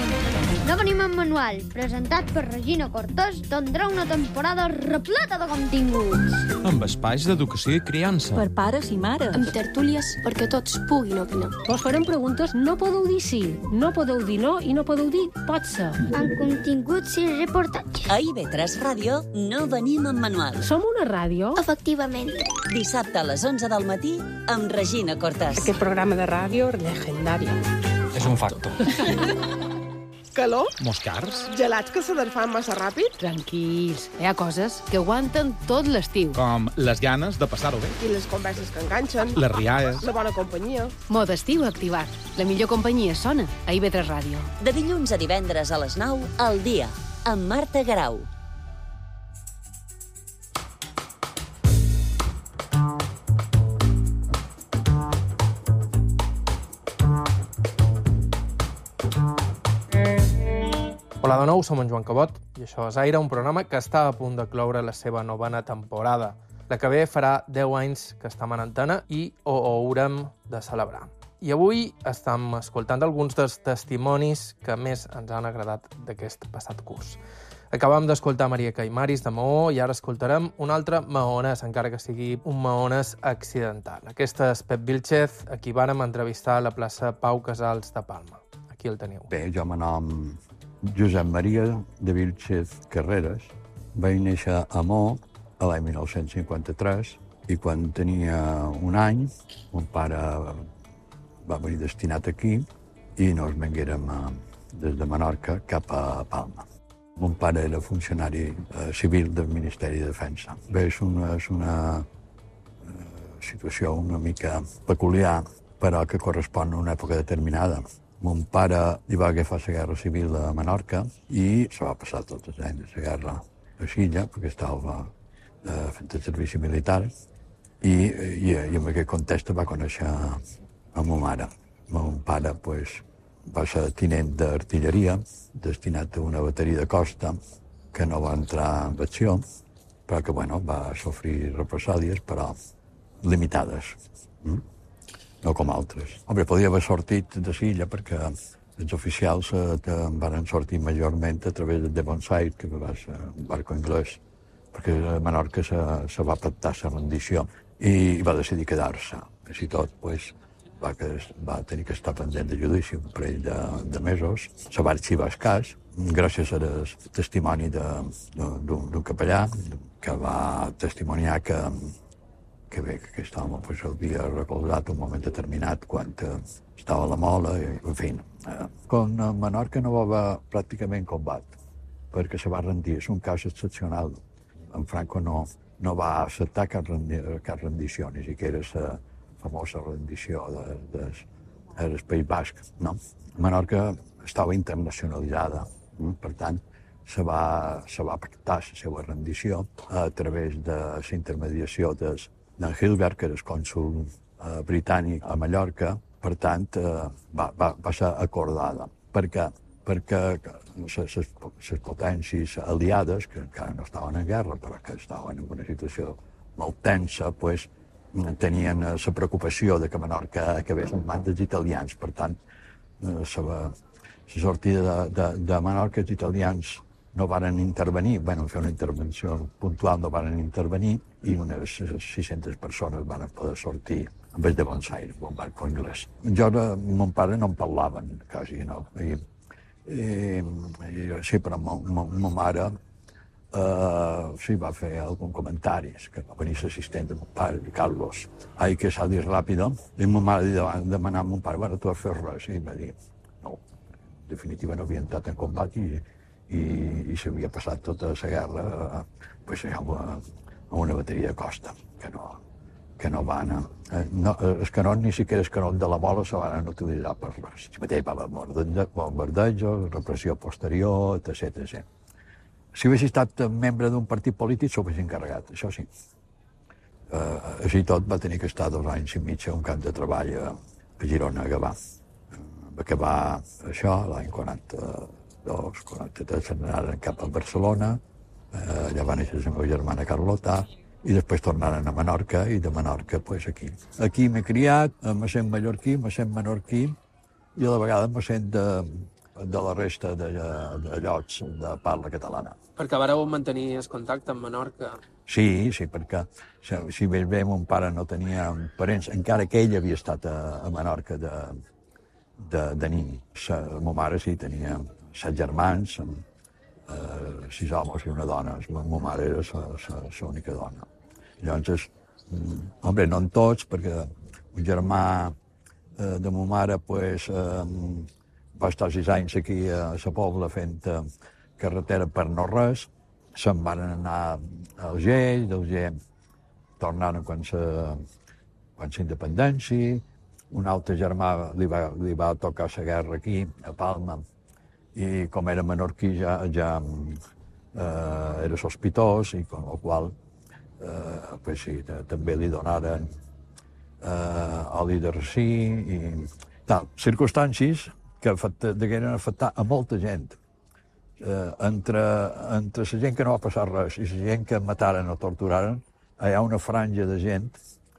No venim en manual, presentat per Regina Cortés, tindrà una temporada repleta de continguts. Amb espais d'educació i criança. Per pares i mares. Amb tertúlies perquè tots puguin opinar. Vos farem preguntes, no podeu dir sí, no podeu dir no i no podeu dir pot ser. Amb continguts i reportatges. A I V tres Ràdio no venim en manual. Som una ràdio? Efectivament. Dissabte a les onze del matí amb Regina Cortés. Aquest programa de ràdio legendari. És un facto. Calor? Moscars? Gelats que se desfan massa ràpid? Tranquils, hi ha coses que aguanten tot l'estiu. Com les ganes de passar-ho bé. I les converses que enganxen. Les rialles. La bona companyia. Mode estiu activat. La millor companyia sona a I V tres Ràdio. De dilluns a divendres a les nou, al dia, amb Marta Garau. Hola de nou, som en Joan Cabot i això és Aire, un programa que està a punt de cloure la seva novena temporada. La que ve farà deu anys que estem en antena i ho haurem de celebrar. I avui estem escoltant alguns dels testimonis que més ens han agradat d'aquest passat curs. Acabam d'escoltar Maria Caimaris de Maó i ara escoltarem un altre maonès, encara que sigui un maonès accidental. Aquest és Pep Vilchez, a qui vàrem entrevistar a la plaça Pau Casals de Palma. Aquí el teniu. Bé, jo me nom Josep Maria de Vilchez Carreras. Vaig néixer a Maó a l'any mil nou-cents cinquanta-tres i quan tenia un any, mon pare va venir destinat aquí i nos venguérem des de Menorca cap a Palma. Mon pare era funcionari eh, civil del Ministeri de Defensa. Bé, és una, és una eh, situació una mica peculiar, però que correspon a una època determinada. Mon pare hi va agafar la guerra civil a Menorca i se va passar tots els anys de la guerra a Silla, perquè estava eh, fent el servici militar, i, i, i en aquest context va conèixer a ma mare. Mon pare pues, va ser tinent d'artilleria, destinat a una bateria de costa, que no va entrar en acció, però que bueno, va sofrir represàlies, però limitades. Mm? No com altres. Home, podia haver sortit de Silla perquè els oficials eh, van sortir majorment a través de Devonshire, que va ser un barco anglès, perquè a Menorca se, se va pactar la rendició i va decidir quedar-se. Així tot, pues, va, que, va tenir que estar pendent de judici un parell de, de mesos. Se va arxivar el cas, gràcies al testimoni d'un capellà que va testimoniar que que bé, que aquest home pues, havia recolzat un moment determinat quan eh, estava a la mola, i, en fi. Eh, con Menorca no va haver pràcticament combat, perquè se va rendir. És un cas excepcional. En Franco no, no va acceptar cap, rendi, cap rendició, ni siquiera la famosa rendició de, de, del País Basc. No? Menorca estava internacionalitzada Per tant, se va, se va pactar la seva rendició a través de la intermediació d'en Hilbert, que era el cònsul eh, britànic a Mallorca. Per tant, eh, va, va, va ser acordada. Per què? Perquè les potències aliades, que encara no estaven en guerra, però que estaven en una situació molt tensa, pues, tenien la preocupació de que Menorca acabés en mans dels italians. Per tant, la sortida de, de, de Menorca, els italians no varen intervenir, bueno, fer una intervenció puntual no varen intervenir, i unes sis-centes persones van poder sortir en vez de Buenos Aires, un barco anglès. Jo, mon pare no en parlaven, quasi, no? I, i, i sí, però ma mare Uh, sí, va fer algun comentari, que va venir l'assistent de mon pare, Carlos, ai, que s'ha dit ràpid, i ma mare va demanar a mon pare, bueno, tu has fet res, i va dir, no, en definitiva no havia entrat en combat i, i, i s'havia passat tota la guerra uh, pues, a, a una bateria de costa, que no, que no van, eh, no, els canons, ni siquiera els canons de la bola se van utilitzar per res. Si mateix va haver bombardejos, repressió posterior, etcètera, etcètera. Si hagués estat membre d'un partit polític, s'ho hagués encarregat, això sí. Uh, així tot va tenir que estar dos anys i mig a un camp de treball a, a Girona, a Gavà. Va acabar això l'any quaranta-dos, quaranta-tres, se'n anaren cap a Barcelona, uh, allà va néixer la meva germana Carlota, i després tornaren a Menorca, i de Menorca, pues, aquí. Aquí m'he criat, me sent mallorquí, me sent menorquí, i a la vegada me sent de, de la resta de, de llocs de parla catalana. Perquè vareu mantenir el contacte amb Menorca? Sí, sí, perquè si bé bé mon pare no tenia parents, encara que ell havia estat a, a Menorca de, de, de nin. Sa, ma mare sí tenia set germans, eh, sis homes i una dona. Ma mare era l'única dona. Llavors, home, no en tots, perquè un germà eh, de ma mare, pues, eh, va estar sis anys aquí a la Pobla fent eh, carretera per no res, se'n van anar a Alger, d'Alger tornaren quan la quan independència, un altre germà li va, li va tocar la guerra aquí, a Palma, i com era menorquí ja, ja eh, era sospitós, i amb la qual eh, pues sí, també li donaren eh, oli de rací i tal. Circumstàncies que degueren afectar a molta gent. Eh, entre, entre la gent que no va passar res i la gent que mataren o torturaren, hi ha una franja de gent.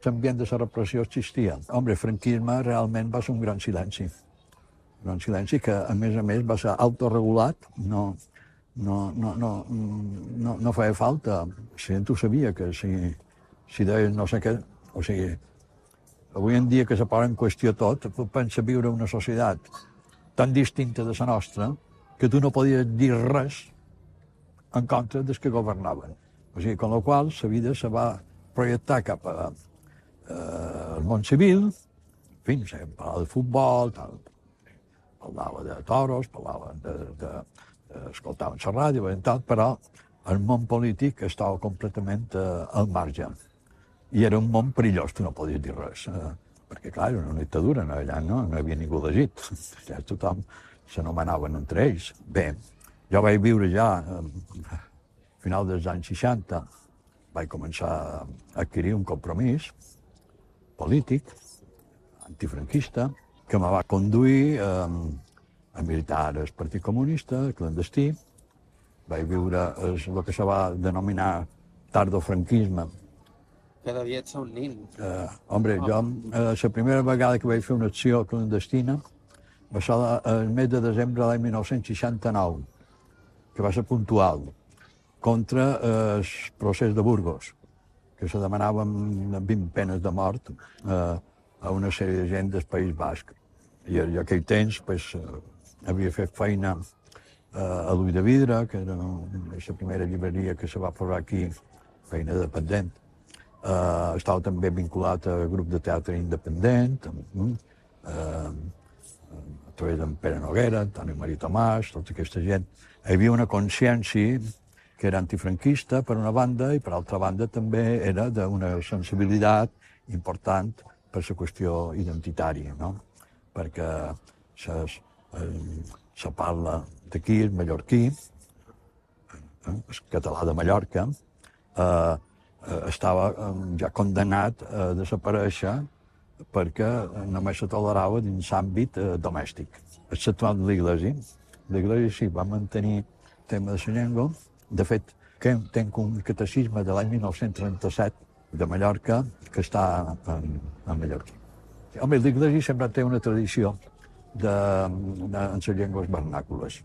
L'ambient de la repressió existia. Home, el franquisme realment va ser un gran silenci. Un gran silenci que, a més a més, va ser autoregulat. No, no, no, no, no, no feia falta. La gent ho sabia, que si, si deies no sé què... O sigui, avui en dia que se posa en qüestió tot, pensa viure en una societat tan distinta de la nostra, que tu no podies dir res en contra dels que governaven. O sigui, amb la qual la vida se va projectar cap a, eh, al món civil, en fi, se parlava de futbol, tal, parlava de toros, parlava de, de, de escoltaven la ràdio, i tal, però el món polític estava completament eh, al marge. I era un món perillós, tu no podies dir res. Eh, perquè, clar, era una dictadura, no, allà no, no hi havia ningú elegit. Ja tothom s'anomenaven entre ells. Bé, jo vaig viure ja, a final dels anys seixanta, vaig començar a adquirir un compromís polític, antifranquista, que me va conduir eh, a militar al Partit Comunista, clandestí. Vaig viure el, el que se va denominar tardofranquisme. Que devia ser un nin. Eh, home, oh. jo, eh, la primera vegada que vaig fer una acció clandestina va ser el mes de desembre de l'any mil nou-cents seixanta-nou, que va ser puntual, contra eh, el procés de Burgos, que se demanaven vint penes de mort eh, a una sèrie de gent del País Basc. I en aquell temps pues, eh, havia fet feina eh, a l'Ull de Vidre, que era la primera llibreria que se va posar aquí, feina dependent. Uh, estava també vinculat al grup de teatre independent, uh, a través d'en Pere Noguera, Antoni Maria Tomàs, tota aquesta gent. Hi havia una consciència que era antifranquista, per una banda, i per altra banda també era d'una sensibilitat important per la qüestió identitària, no? Perquè ses, eh, se parla d'aquí, el mallorquí, el català de Mallorca, eh, estava ja condemnat a desaparèixer perquè només se tolerava dins l'àmbit domèstic. Exceptuant l'Iglesi. L'Iglesi sí, va mantenir el tema de la llengua. De fet, tenc un catecisme de l'any mil nou-cents trenta-set de Mallorca que està en, en mallorquí. Home, l'Iglesi sempre té una tradició de, de, en les llengües vernàcules,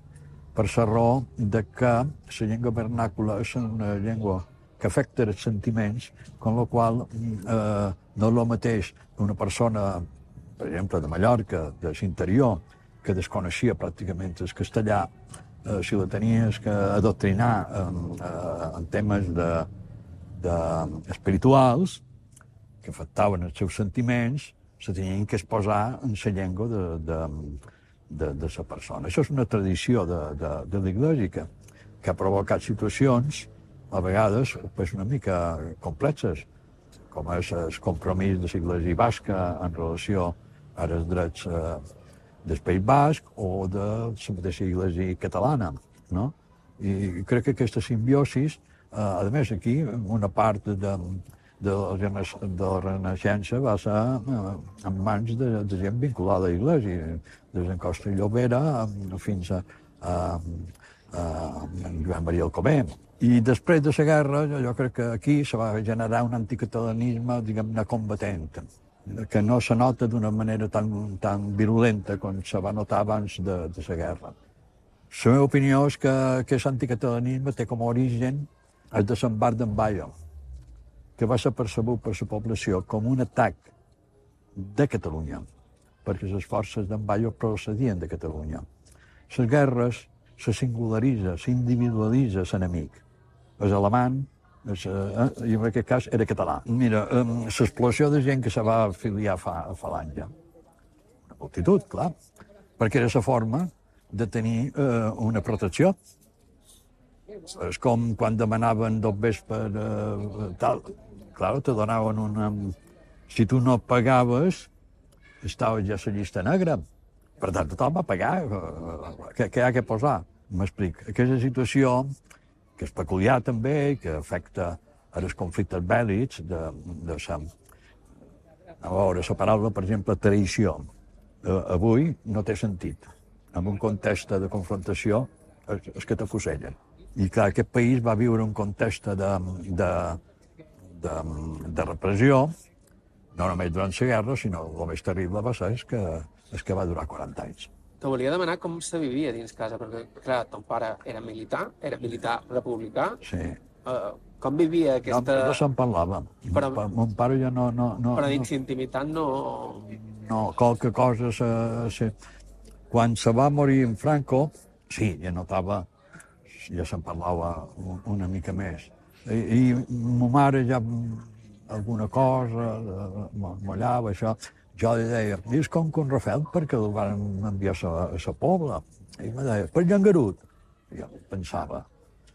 per la raó de que la llengua vernàcula és una llengua que afecta els sentiments, amb la qual eh, no és el mateix una persona, per exemple, de Mallorca, de l'interior, que desconeixia pràcticament el castellà, eh, si la tenies que adoctrinar en, eh, en temes de, de espirituals, que afectaven els seus sentiments, se tenien que exposar en la llengua de, de, de, de la persona. Això és una tradició de, de, de l'Iglésia que, que ha provocat situacions a vegades pues, una mica complexes, com és el compromís de l'Iglésia basca en relació als drets eh, del País Basc o de la mateixa Iglésia catalana. No? I crec que aquesta simbiosis, eh, a més aquí, una part de, de, la, de la Renaixença va ser eh, en mans de, de gent vinculada a l'Iglésia, des d'en Costa i Llobera fins a, a, a, a Joan Maria Alcover. I després de la guerra, jo crec que aquí se va generar un anticatalanisme, diguem-ne, combatent, que no se nota d'una manera tan, tan virulenta com se va notar abans de, de la guerra. La meva opinió és que aquest anticatalanisme té com a origen el desembarc d'en Bayo, que va ser percebut per la població com un atac de Catalunya, perquè les forces d'en Bayo procedien de Catalunya. Les guerres se singularitza, s'individualitza l'enemic. És alemany, és, eh, i en aquest cas era català. Mira, eh, l'explosió de gent que se va afiliar fa, a Falange, una multitud, clar, perquè era la forma de tenir eh, una protecció. És com quan demanaven dos vespres eh, tal, clar, te donaven una... Si tu no pagaves, estaves ja a la llista negra. Per tant, tothom va pagar. Què, què hi ha que posar? M'explic. Aquesta situació, que és peculiar també, que afecta els conflictes bèl·lics, de, de sa... A veure, la paraula, per exemple, traïció, eh, avui no té sentit. En un context de confrontació és, és que t'afusellen. I clar, aquest país va viure un context de, de, de, de repressió, no només durant la guerra, sinó el més terrible va ser és que, és que va durar quaranta anys. Te volia demanar com se vivia dins casa, perquè, clar, ton pare era militar, era militar republicà. Sí. Uh, com vivia aquesta... No, no se'n parlava. Però... Mon pare ja no... no, no però dins intimitat no... No, qualque cosa se, se... Quan se va morir en Franco, sí, ja notava, ja se'n parlava una mica més. I, i ma mare ja alguna cosa, mollava, això... Jo li deia, és com que un Rafael, perquè el van enviar a la Pobla. I em deia, per Llangarut. I jo pensava,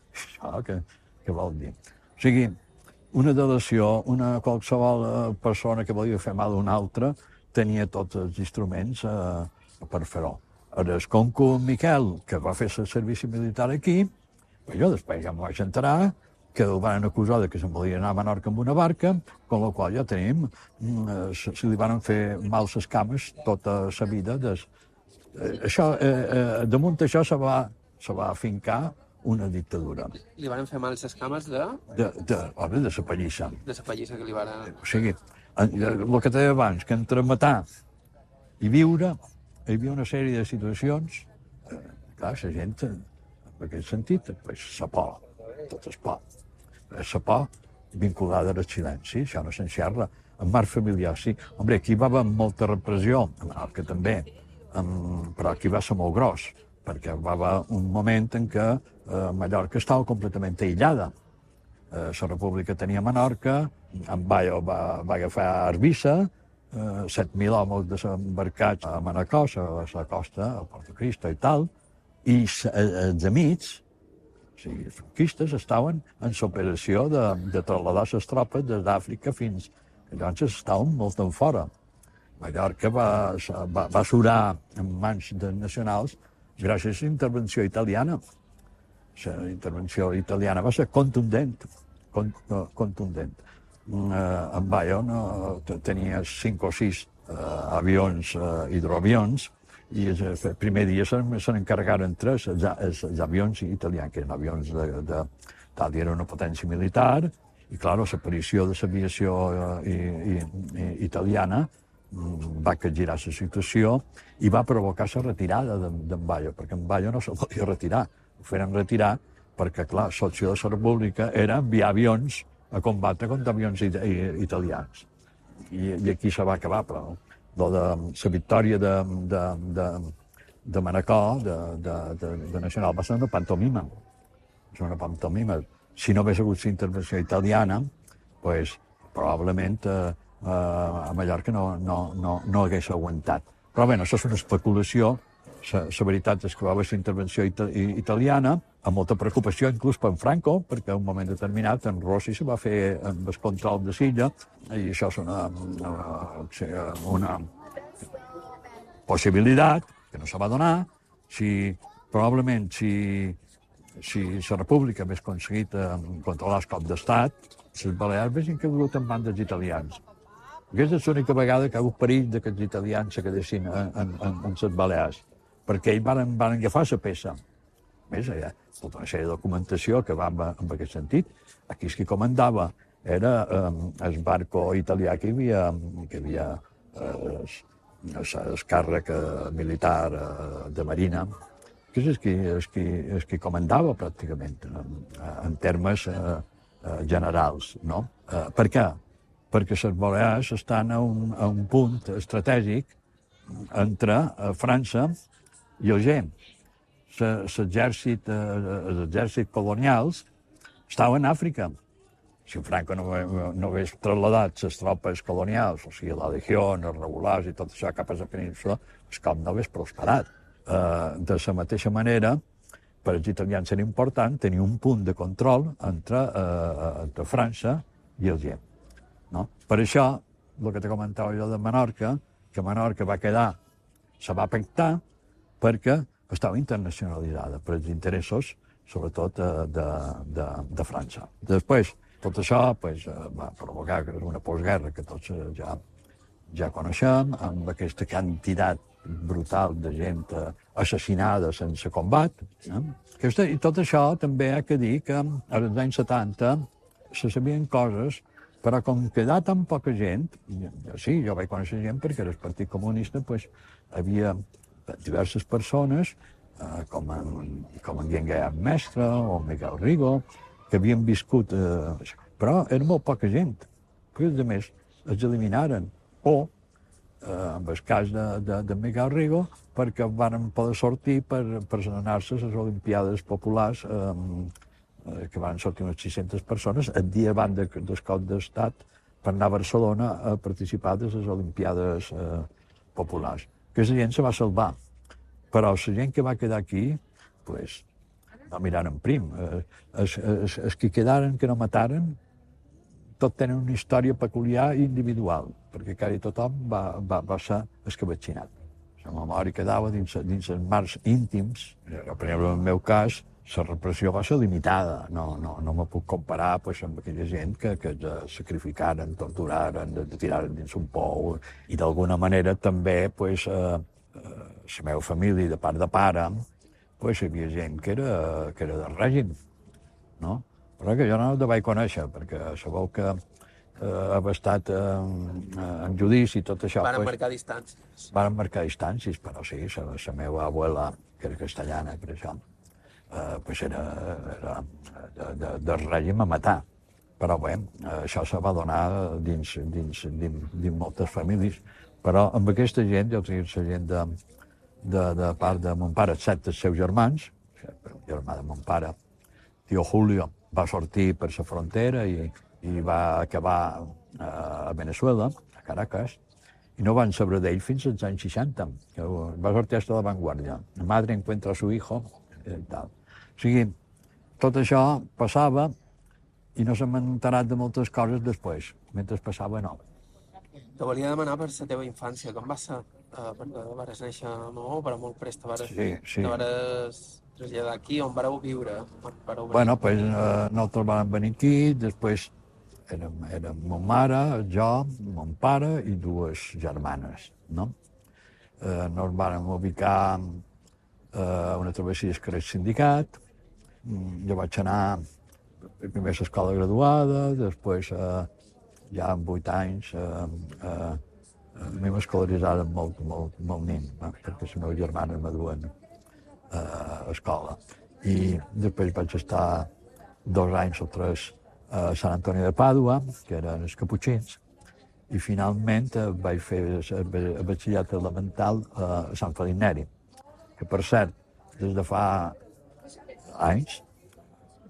això què, què vol dir? O sigui, una delació, una qualsevol persona que volia fer mal a una altra, tenia tots els instruments eh, per fer-ho. Ara, com que en Miquel, que va fer el servici militar aquí, jo després ja m'ho vaig enterar, que el van acusar de que se'n volia anar a Menorca amb una barca, amb la qual ja tenim, se, se li van fer mal les cames tota la vida. Des, eh, això, eh, eh, damunt d'això se va, se va afincar una dictadura. Li van fer mal les cames de... De, de, home, de la pallissa. De la pallissa que li van... O sigui, el que deia abans, que entre matar i viure, hi havia una sèrie de situacions, eh, clar, la gent, en aquest sentit, pues, la por, tot és por. La por vinculada al silenci, això no s'enxerra. En marc familiar, sí. Hombre, aquí va haver molta repressió, a Menorca també, um, però aquí va ser molt gros, perquè va haver un moment en què uh, Mallorca estava completament aïllada. Uh, la república tenia Menorca, en Bayo va, va agafar Eivissa, uh, set mil homes desembarcats a Manacor, a la costa, a Porto Cristo i tal, i els amics, o sigui, els franquistes estaven en l'operació de, de trasladar les tropes des d'Àfrica fins... Llavors estaven molt en fora. Mallorca va, va, va surar en mans dels nacionals gràcies a la intervenció italiana. La intervenció italiana va ser contundent, contundent. En Bayo tenia cinc o sis avions, hidroavions, i el primer dia se n'encarregaren tres, els avions italians, que eren avions de... Itàlia era una potència militar, i, clar, l'aparició de l'aviació italiana va capgirar la situació i va provocar la retirada d'en Bayo, perquè en Bayo no se podia retirar. Ho feren retirar perquè, clar, l'opció de la república era enviar avions a combatre contra avions italians. I aquí se va acabar, però la victòria de Manacor, de Nacional, va ser una pantomima. És una pantomima. Si no hagués hagut la intervenció italiana, doncs, probablement a Mallorca no hagués aguantat. Però bé, això és una especulació. La veritat és que va haver la intervenció italiana, amb molta preocupació, inclús per en Franco, perquè en un moment determinat en Rossi se va fer amb el control de l'illa, i això és una possibilitat que no se va donar. Probablement, si si la república hagués aconseguit controlar el cop d'estat, les Balears haguessin caigut en mans dels italians. Aquesta és l'única vegada que ha hagut perill que els italians se quedessin en les Balears, perquè ells van agafar la peça. A més, hi ha tota una sèrie de documentació que va en aquest sentit. Aquí qui comandava era el barco italià que hi havia el càrrec militar de Marina, que és el que comandava pràcticament, en termes generals. Per què? Perquè les Balears estan a un punt estratègic entre França i Alger. Els exèrcits colonials estaven a Àfrica. Si Franco no hagués trasladat les tropes colonials, o sigui, la legió, els regulars i tot això cap a la península, el cop no hagués prosperat. De la mateixa manera, per als italians era important tenir un punt de control entre França i Alger. Per això, el que te comentava jo de Menorca, que Menorca va quedar, se va pactar perquè estava internacionalitzada per als interessos, sobretot de França. Després, tot això va provocar una postguerra que tots ja coneixem, amb aquesta quantitat brutal de gent assassinada sense combat. I tot això també ha de dir que als anys setanta se sabien coses, però com quedà tan poca gent, sí, jo vaig conèixer gent perquè era el Partit Comunista, hi havia diverses persones, com en Guillem Mestre o Miguel Rigo, que havien viscut, però era molt poca gent, perquè a més els eliminaren, o en el cas de Miguel Rigo, perquè van poder sortir per anar-se a les Olimpiades Populars, que van sortir unes sis-centes persones, el dia abans del cop d'estat, per anar a Barcelona a participar de les Olimpiades Populars. Aquesta gent se va salvar, però la gent que va quedar aquí, doncs, no miraren prim. Els que quedaren, que no mataren, tot tenen una història peculiar i individual, perquè quasi tothom va ser escabetxinat. La memòria quedava dins els marcs íntims. Per exemple, en el meu cas, la repressió va ser limitada. No me puc comparar amb aquella gent que es sacrificaren, torturaren, tiraren dins un pou, i d'alguna manera també la meva família, de part de pare, hi havia gent que era del règim, no? Però que jo no el vaig conèixer, perquè sabeu que ha estat en judici i tot això... Varen marcar distàncies. Varen marcar distàncies, però sí, la meva abuela, que era castellana, per això, era del règim a matar. Però bé, això se va donar dins moltes famílies. Però amb aquesta gent, jo tinc la gent de part de mon pare, excepte els seus germans, el germà de mon pare, tio Julio, va sortir per la frontera i va acabar a Venezuela, a Caracas, i no van saber d'ell fins als anys seixanta, que va sortir hasta la Vanguardia. La madre encuentra a su hijo, i tal. O sigui, tot això passava i no s'han enterat de moltes coses després, mentre passava no. Te volia demanar per la teva infància, com va ser uh, perquè vares néixer a Maó, però molt prest te vares, Sí, sí. te vares traslladar aquí, on vareu viure? Vareu Bueno, pues, eh, nosaltres vam venir aquí, després érem, érem mon mare, jo, mon pare i dues germanes, no? Eh, nos vam ubicar eh, a una travessia del carrer Sindicat. Jo vaig anar primer a l'escola graduada, després, eh, ja amb vuit anys, eh, eh, a mi m'escolaritzaren molt, molt, molt nin, eh, perquè les meves germanes me duen eh, a escola. I després vaig estar dos anys o tres a Sant Antoni de Pàdua, que eren els caputxins, i finalment eh, vaig fer el batxillerat elemental a Sant Felip Neri, que per cert, des de fa anys,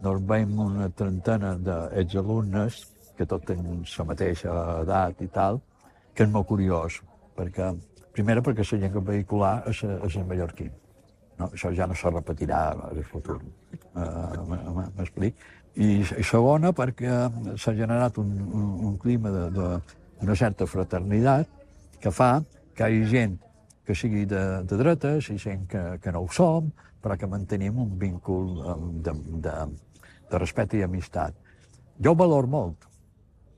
nos veiem una trentena d'exalumnes, que tots tenen la mateixa edat i tal, que és molt curiós, perquè, primera, perquè la llengua vehicular és, és el mallorquí. No? Això ja no se repetirà en el futur, uh, m'explic. I, I segona, perquè s'ha generat un, un, un clima d'una certa fraternitat que fa que hi hagi gent que sigui de, de dretes i gent que, que no ho som, però que mantenim un vincul de, de, de respecte i amistat. Jo ho valoro molt,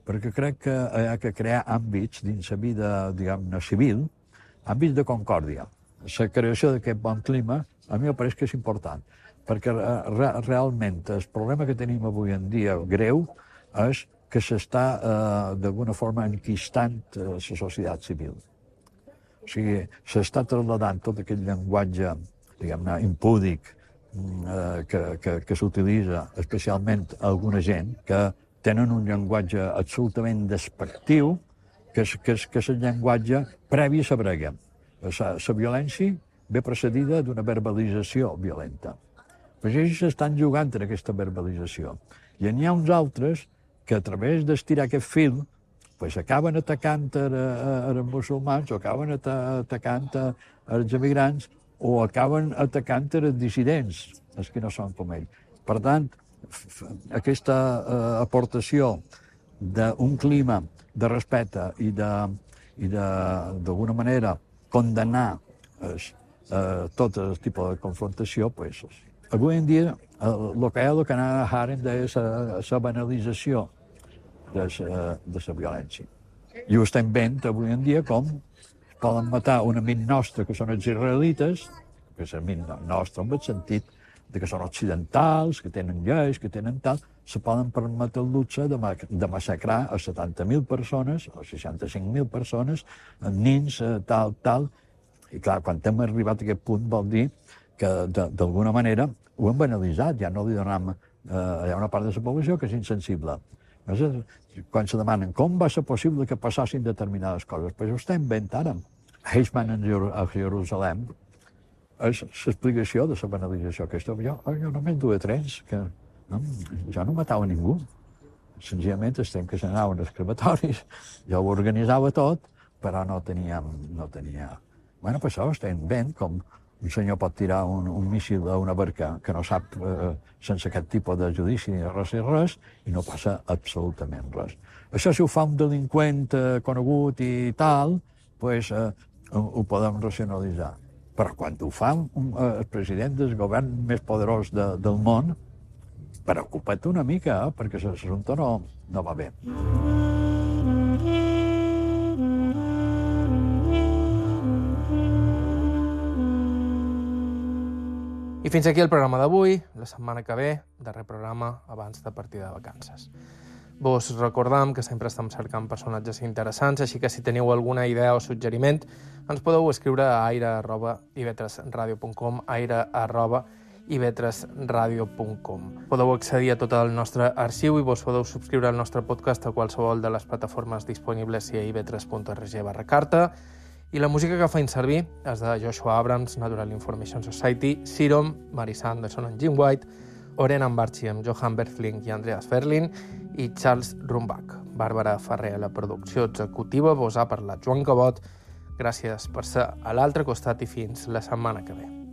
perquè crec que hi ha que crear àmbits dins la vida, diguem-ne, civil, àmbits de concòrdia. La creació d'aquest bon clima, a mi em pareix que és important, perquè re, realment el problema que tenim avui en dia greu és que s'està eh, d'alguna forma enquistant eh, la societat civil. O sigui, s'està trasladant tot aquest llenguatge, diguem-ne, impúdic, eh, que, que, que s'utilitza especialment alguna gent que tenen un llenguatge absolutament despectiu, que és, que és, que és el llenguatge previ a la brega. La, la violència ve precedida d'una verbalització violenta. Però ells s'estan jugant en aquesta verbalització. I n'hi ha uns altres que a través d'estirar aquest fil pues acaben atacant els musulmans, o acaben atacant els emigrants, o acaben atacant els dissidents, els que no són com ells. Per tant, aquesta eh, aportació d'un clima de respecte i d'alguna manera condenar es, eh, tot el tipus de confrontació, pues, avui en dia el que hi ha el que Hannah Arendt deia la banalització de la violència. I ho estem veient avui en dia com poden matar un amic nostre, que són els israelites, que és amic nostre en el sentit de que són occidentals, que tenen lleis, que tenen tal, se poden permetre el luxe de, ma de massacrar a setanta mil persones, o seixanta-cinc mil persones, nins, tal, tal. I clar, quan hem arribat a aquest punt vol dir que d'alguna manera ho hem banalitzat, ja no li donem... Eh, hi ha una part de la població que és insensible. Quan se demanen com va ser possible que passassin determinades coses, doncs ho estem veient ara. Eichmann a Jerusalem és l'explicació de la banalització aquesta. Jo, jo només duia trens, que no, jo no matava ningú. Senzillament estem que s'anaven als crematoris, jo ho organitzava tot, però no tenia... No tenia... Bueno, pues això estem veient com un senyor pot tirar un, un míssil a una barca que no sap, eh, sense aquest tipus de judici ni res i res, i no passa absolutament res. Això si ho fa un delinqüent eh, conegut i tal, pues, eh, ho, ho podem racionalitzar. Però quan ho fa un, eh, el president del govern més poderós de, del món, preocupa't una mica, eh, perquè l'assumpte no, no va bé. I fins aquí el programa d'avui. La setmana que ve, darrer programa abans de partir de vacances. Vos recordam que sempre estem cercant personatges interessants, així que si teniu alguna idea o suggeriment, ens podeu escriure a aire arroba i vetres radio punt com, aire arroba i vetres radio punt com. Podeu accedir a tot el nostre arxiu i vos podeu subscriure al nostre podcast a qualsevol de les plataformes disponibles i a i vetres punt org barra carta. I la música que feim servir és de Joshua Abrams, Natural Information Society, Serum, Mary Sanderson and Jim White, Oren Ambarchi amb Johan Berthling i Andreas Ferlin i Charles Rumbach. Bàrbara Ferrer a la producció executiva, vos ha parlat Joan Cabot. Gràcies per ser a l'altre costat i fins la setmana que ve. Mm-hmm.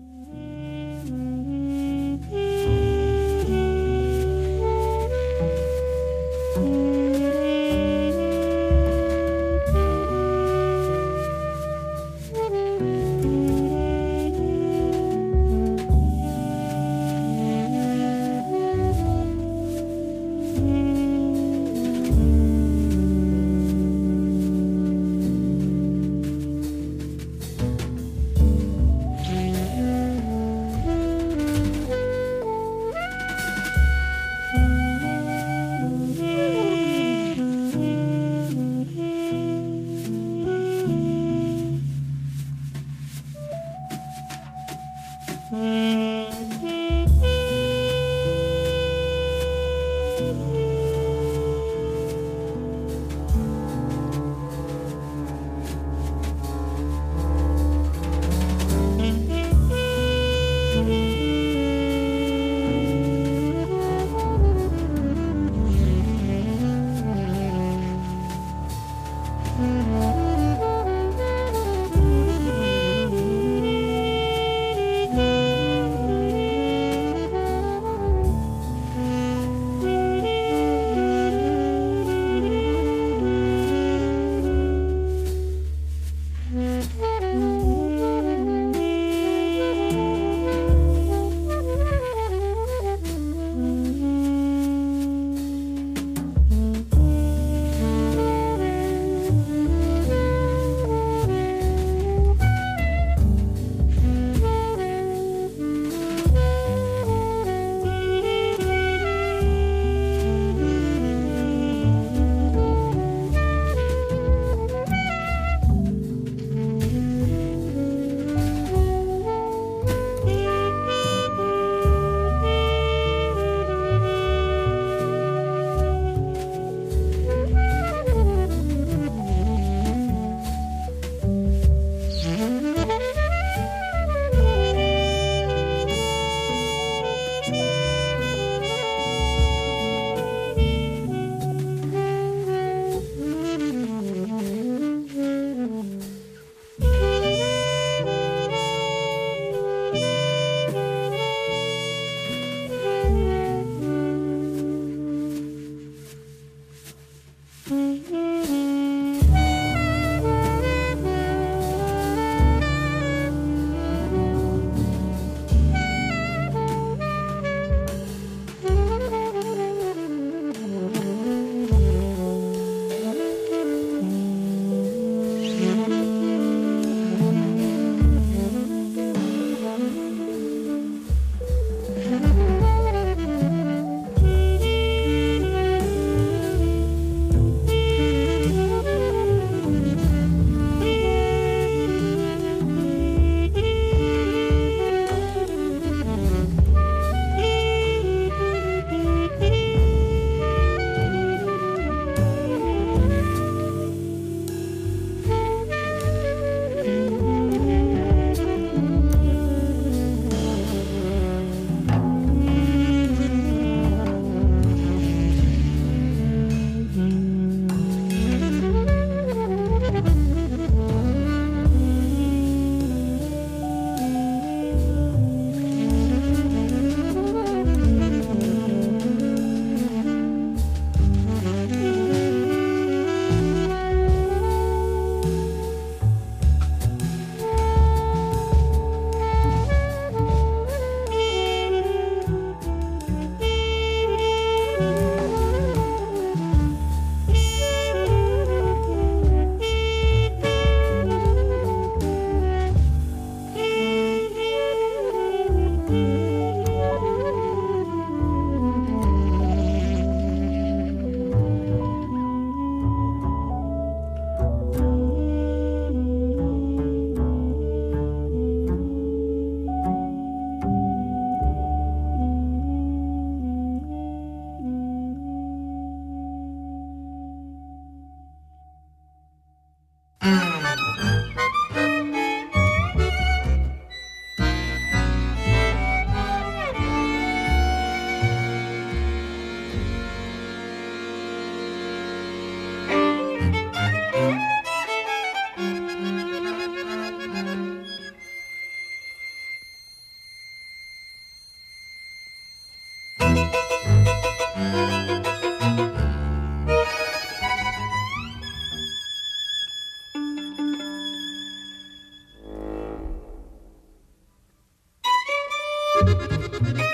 Thank you.